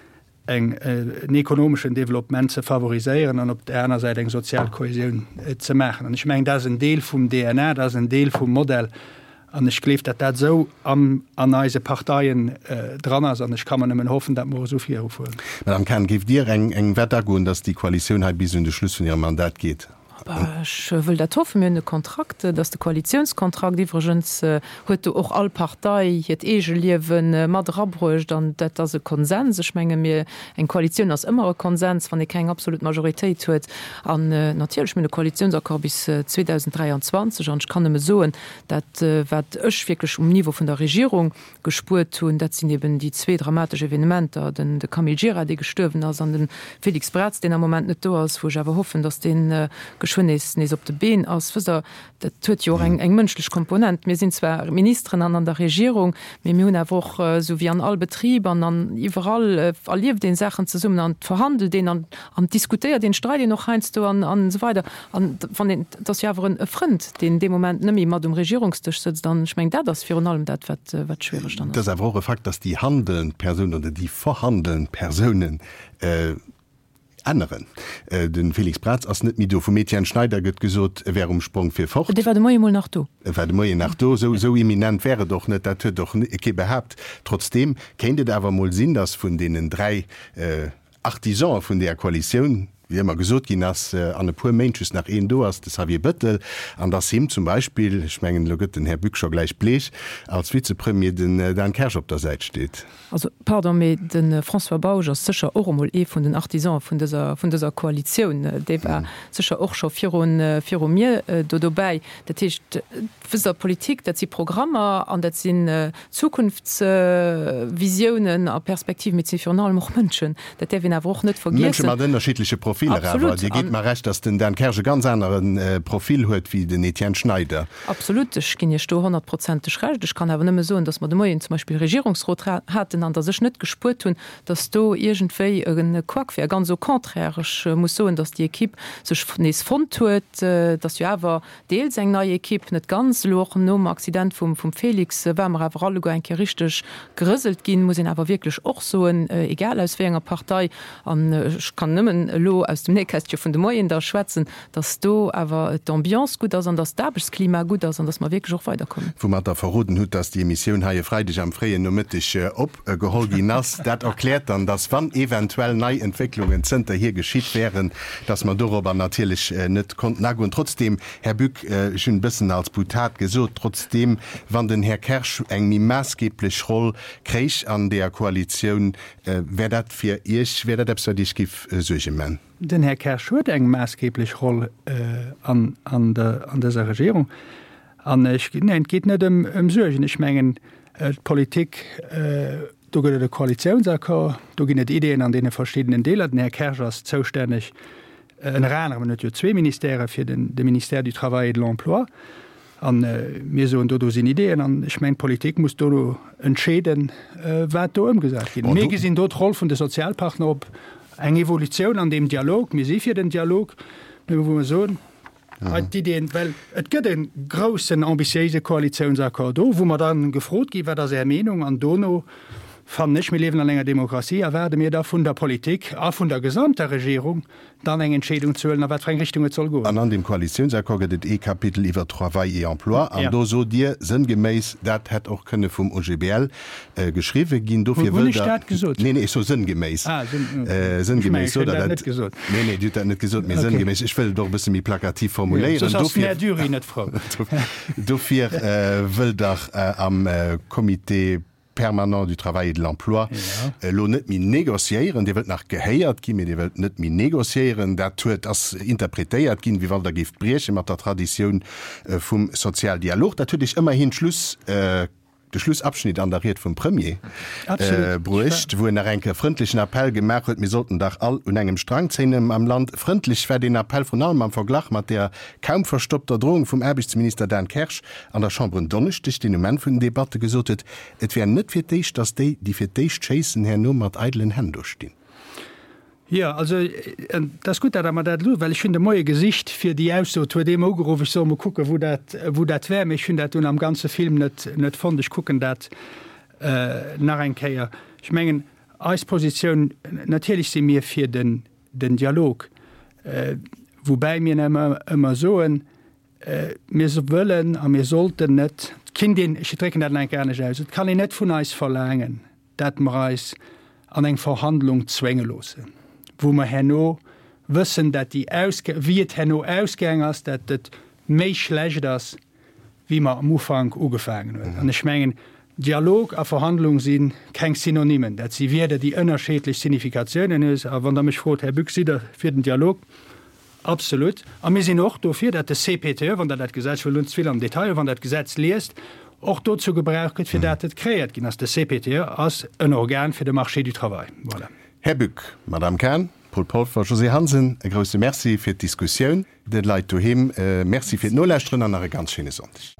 eng, en ekonomeschen Développement ze favoriséieren an op där aner Säit eng sozial Kohesioun ze maachen. An ech mengen, dat ass en Deel vum D N A, dat ass en Deel vum Modell. An ech gleef, datt dat esou am, an eise Parteien dran ass. An ech ka mer nëmmen hoffen, datt mer esou virufueren. Madame Cahen, géift Dir eng, eng Wett agoen, datt déi Koalitioun hei bis un de Schluss vun hirem Mandat geet? Ech wëll dat hoffen. Mir hunn e Kontrakt, dat ass de Koalitiounskontrakt. Iwwregens huet do och all Partei hiert Eegeliewe mat erabruecht an dat ass e Konsens. Ech menge mir, eng Koalitioun ass ëmmer e Konsens, wann ee keng absolut Majoritéit huet. An natierlech, mir hunn e Koalitiounsaccord bis zweedausendräianzwanzeg an ech kann nëmme soen, dat wat ech wierklech um Niveau vun der Regierung gespuert hunn, dat sinn eben déi zwee dramatesch Evenementer, den de Camille Gira, dee gestuerwen ass, an de Félix Braz, deen am Moment net do ass, wou ech awer hoffen, datt dee geschwënn nees nees op de Been ass. Wësst Der, dat huet jo och eng eng mënschlech Komponent. Mir sinn zwar Ministeren an an der Regierung, mee mir hunn awer och, esou wéi an all Betrib an an iwwerall, erlieft een Saachen zesummen an verhandelt een an an diskutéiert een, streit een och heiansdo an an esou weider. An wann een, et ass jo awer en e Frënd, deen dee Moment net méi mat um Regierungsdësch sëtzt. An ech mengen, dat ass virun allem dat, wat wat schwiereg dann Et ass. ass awer och e Fakt, datt déi handelnd Persounen oder déi verhandelnd Persounen änneren. De Félix Braz ass net méi do. Vum Etienne Schneider gëtt gesot, e wär um Sprong fir fort. Dee war de Moie mol nach do. E war de Moien nach do. Esou esou imminent wär et och net. Dat huet och kee behaapt. Trotzdeem kéint et awer mol sinn, datt vun deenen dräi Artisane vun deeër Koalitioun, wéi ëmmer gesot ginn ass, an e puer Méint just nach een do ass, de Xavier Bëttel, an datt him zum Beispill, ech mengen, elo gëtt den Här Buck scho gläich bleech, als Vizepremier den Dan Kersch op der Säit steet. Also, pardon, mee de François Bausch ass sécher och emol ee vun den Artisane vun dëser, vun dëser Koalitioun. Dee war sécher och scho virun, viru mir do dobäi. Dat heescht, wësst Der, Politik, dat si Programmer an dat sinn Zukunftsvisiounen a Perspektiven, mee et si virun allem och Mënschen. Dat däerf een awer och net Mënsche vergiessen. mat ënnerschiddleche Profiller awer. Absolut. Dir gitt mer Recht, datt den Dan Kersch e ganz anere Profil huet wéi den Etienne Schneider. Absolut, ech ginn Iech do honnertprozenteg Recht. Ech kann awer nëmme soen, datt mer de Moien zum Beispill Regierungsrot haten an datt ech net gespuert hunn, datt do iergendwéi e Couac wär. Ganz au contraire, ech muss soen, datt déi Equipe sech nees fonnt huet, datt jo awer deels eng nei Equipe, net ganz, elo och nom Accident vum Félix ware mer awer alleguer eng Kéier richteg gerëselt ginn, muss een awer wierklech och soen, egal aus wéi enger Partei. An ech kann nëmmen elo aus dem Nähkästche vun de Moien da schwätzen, dass do awer d'Ambiance gutt ass an dass d'Aarbechtsklima gutt ass an dass mer wierklech och weiderkommen. Woumat Der verroden hutt, dass déi Emissioun hei e Freideg am fréien Nomëtteg opgeholl ginn ass. Dat erkläert dann, dass, wann eventuell nei Entwécklungen zënterhier geschitt wären, dass mer dorobber natierlech net konnten agoen. Trotzdeem, Här Buck, ech hunn e bëssen als Boutade gesot, trotzdeem, wann den Här Kersch eng méi maassgeeblech Roll kréich an deeër Koalitioun, wär dat fir Iech, wär dat eppes, wat Iech géif Suerge man? Den Här Kersch huet eng maassgeeblech Roll an an dëser Regierung. An ech, neen, et geet net ëm Suergen. Ech mengen, d'Politik, do gëtt et e Koalitiounsaccord, do ginn et Ideeën an deene verschiddenen Deeler. Den Här Kersch ass zoustänneg, ënner anerem, en huet jo zwee Ministèrë, fir den de Ministère du Travail et de l'Emploi. A mir soen do, do sinn Ideeën. An ech mengen, d'Politik muss dono entscheeden, wat do ëmgesat ginn. Mir gesinn do d'Roll vun de Sozialpartner op eng Evolutioun an deem Dialog. Mir si fir den Dialog, mä wou mer soen, hei d'Iddien, well et gëtt e groussen, ambitiéise Koalitiounsaccord do, wou mer da gefrot ginn, Wat ass Är Meenung? An dono fannen ech, mir liewen an enger Demokratie, erwaarde mir da vun der Politik a vun der gesamter Regierung, dann eng Entscheedung ze huelen, a wat fir eng Richtung et soll goen. An an deem Koalitiounsaccord gëtt et ee Kapitel iwwer Travail et Emploi, an do sot Dir sënngeméiss, dat hätt och kënne vum OGBL geschriwwe ginn. Dofir Hunn wëllt ech Der. dat gesot? Nee, nee, ech soe sënngeméiss. Ah, sënn, ech mengen, Sënngeméiss ech sot hunn Der dat dat. net gesot. Nee, nee, Dir hutt dat net gesot, mee Okay. sënngeméiss. Ech wëll et och e bësse méi plakativ formuléieren. Soss ass den Dofir, Här Dury net frou. dofir wëllt Der am Comité permanent du Travail et de l'Emploi elo net méi négociéieren. Dir wëllt nach gehéiert ginn, mee Dir wëllt net méi négociéieren. Dat huet, ass interpretéiert ginn, wéi wann Der géift brieche mat der Traditioun vum Sozialdialog. Dat huet Iech ëmmerhin d'Schluss, de Schlussabschnitt an der Ried vum Premier bruecht, wou en nach eng Kéier frëndlechen Appell gemaach huet, mir sollten dach all un engem Strang zéien am Land. Frëndlech war deen Appell vrun allem am Verglach mat der kaum verstoppter Drohung vum Aarbechtsminister Dan Kersch an der Chamber en Donneschdeg, deen um Enn vun den Debatte gesot huet, et wär net fir d'éischt, datt déi, déi fir d'éischt schéissen, herno mat eidelen Hänn do stinn. Jo, also et ass gutt, datt Der mer dat elo, well ech hunn de Moie gesicht fir déi Ausso, et huet ee mer ugeruff, ech soll mol kucken, wou dat, wou dat wär, mee ech hunn dat dunn am ganze Film net, net fonnt. Ech kucken dat nach eng Kéier. Ech mengen, eis Positioun, natierlech si mir fir den, den Dialog, woubäi mir ëmmer, ëmmer soen, mir wëllen a mir sollten net, et kinnt een, ech drécken dat nach eng Kéier anescht aus, et kann een net vun eis verlaangen, dat mer eis an eng Verhandlung zwénge loossen, wou mer herno wëssen, dat déi ausge, wéi et herno ausgaang ass, dat et méi schlecht ass, wéi mer am Ufank ugefaangen hunn. An ech mengen, Dialog a Verhandlung si keng Synonymen. Dat si Wierder, déi ënnerscheedlech Significatiounen hunn. A wann Der mech frot, Här Bück, sidd Der fir den Dialog? Absolut. A mir sinn och dofir, datt de C P T E, wann Der dat Gesetz, ech wëll elo net ze vill am Detail, wann Der dat Gesetz liest, och dozou gebraucht gëtt, fir dat et kreéiert ginn ass. De C P T E ass en Organ fir de Marché du travail. Voilà. Här Bück, Madame Cahen, Paul Polfer, Josée Hansen, e grouse Merci fir d'Diskussioun. De Leit doheem Merci fir d'Nolauschteren an nach e ganz schéine Sonndeg.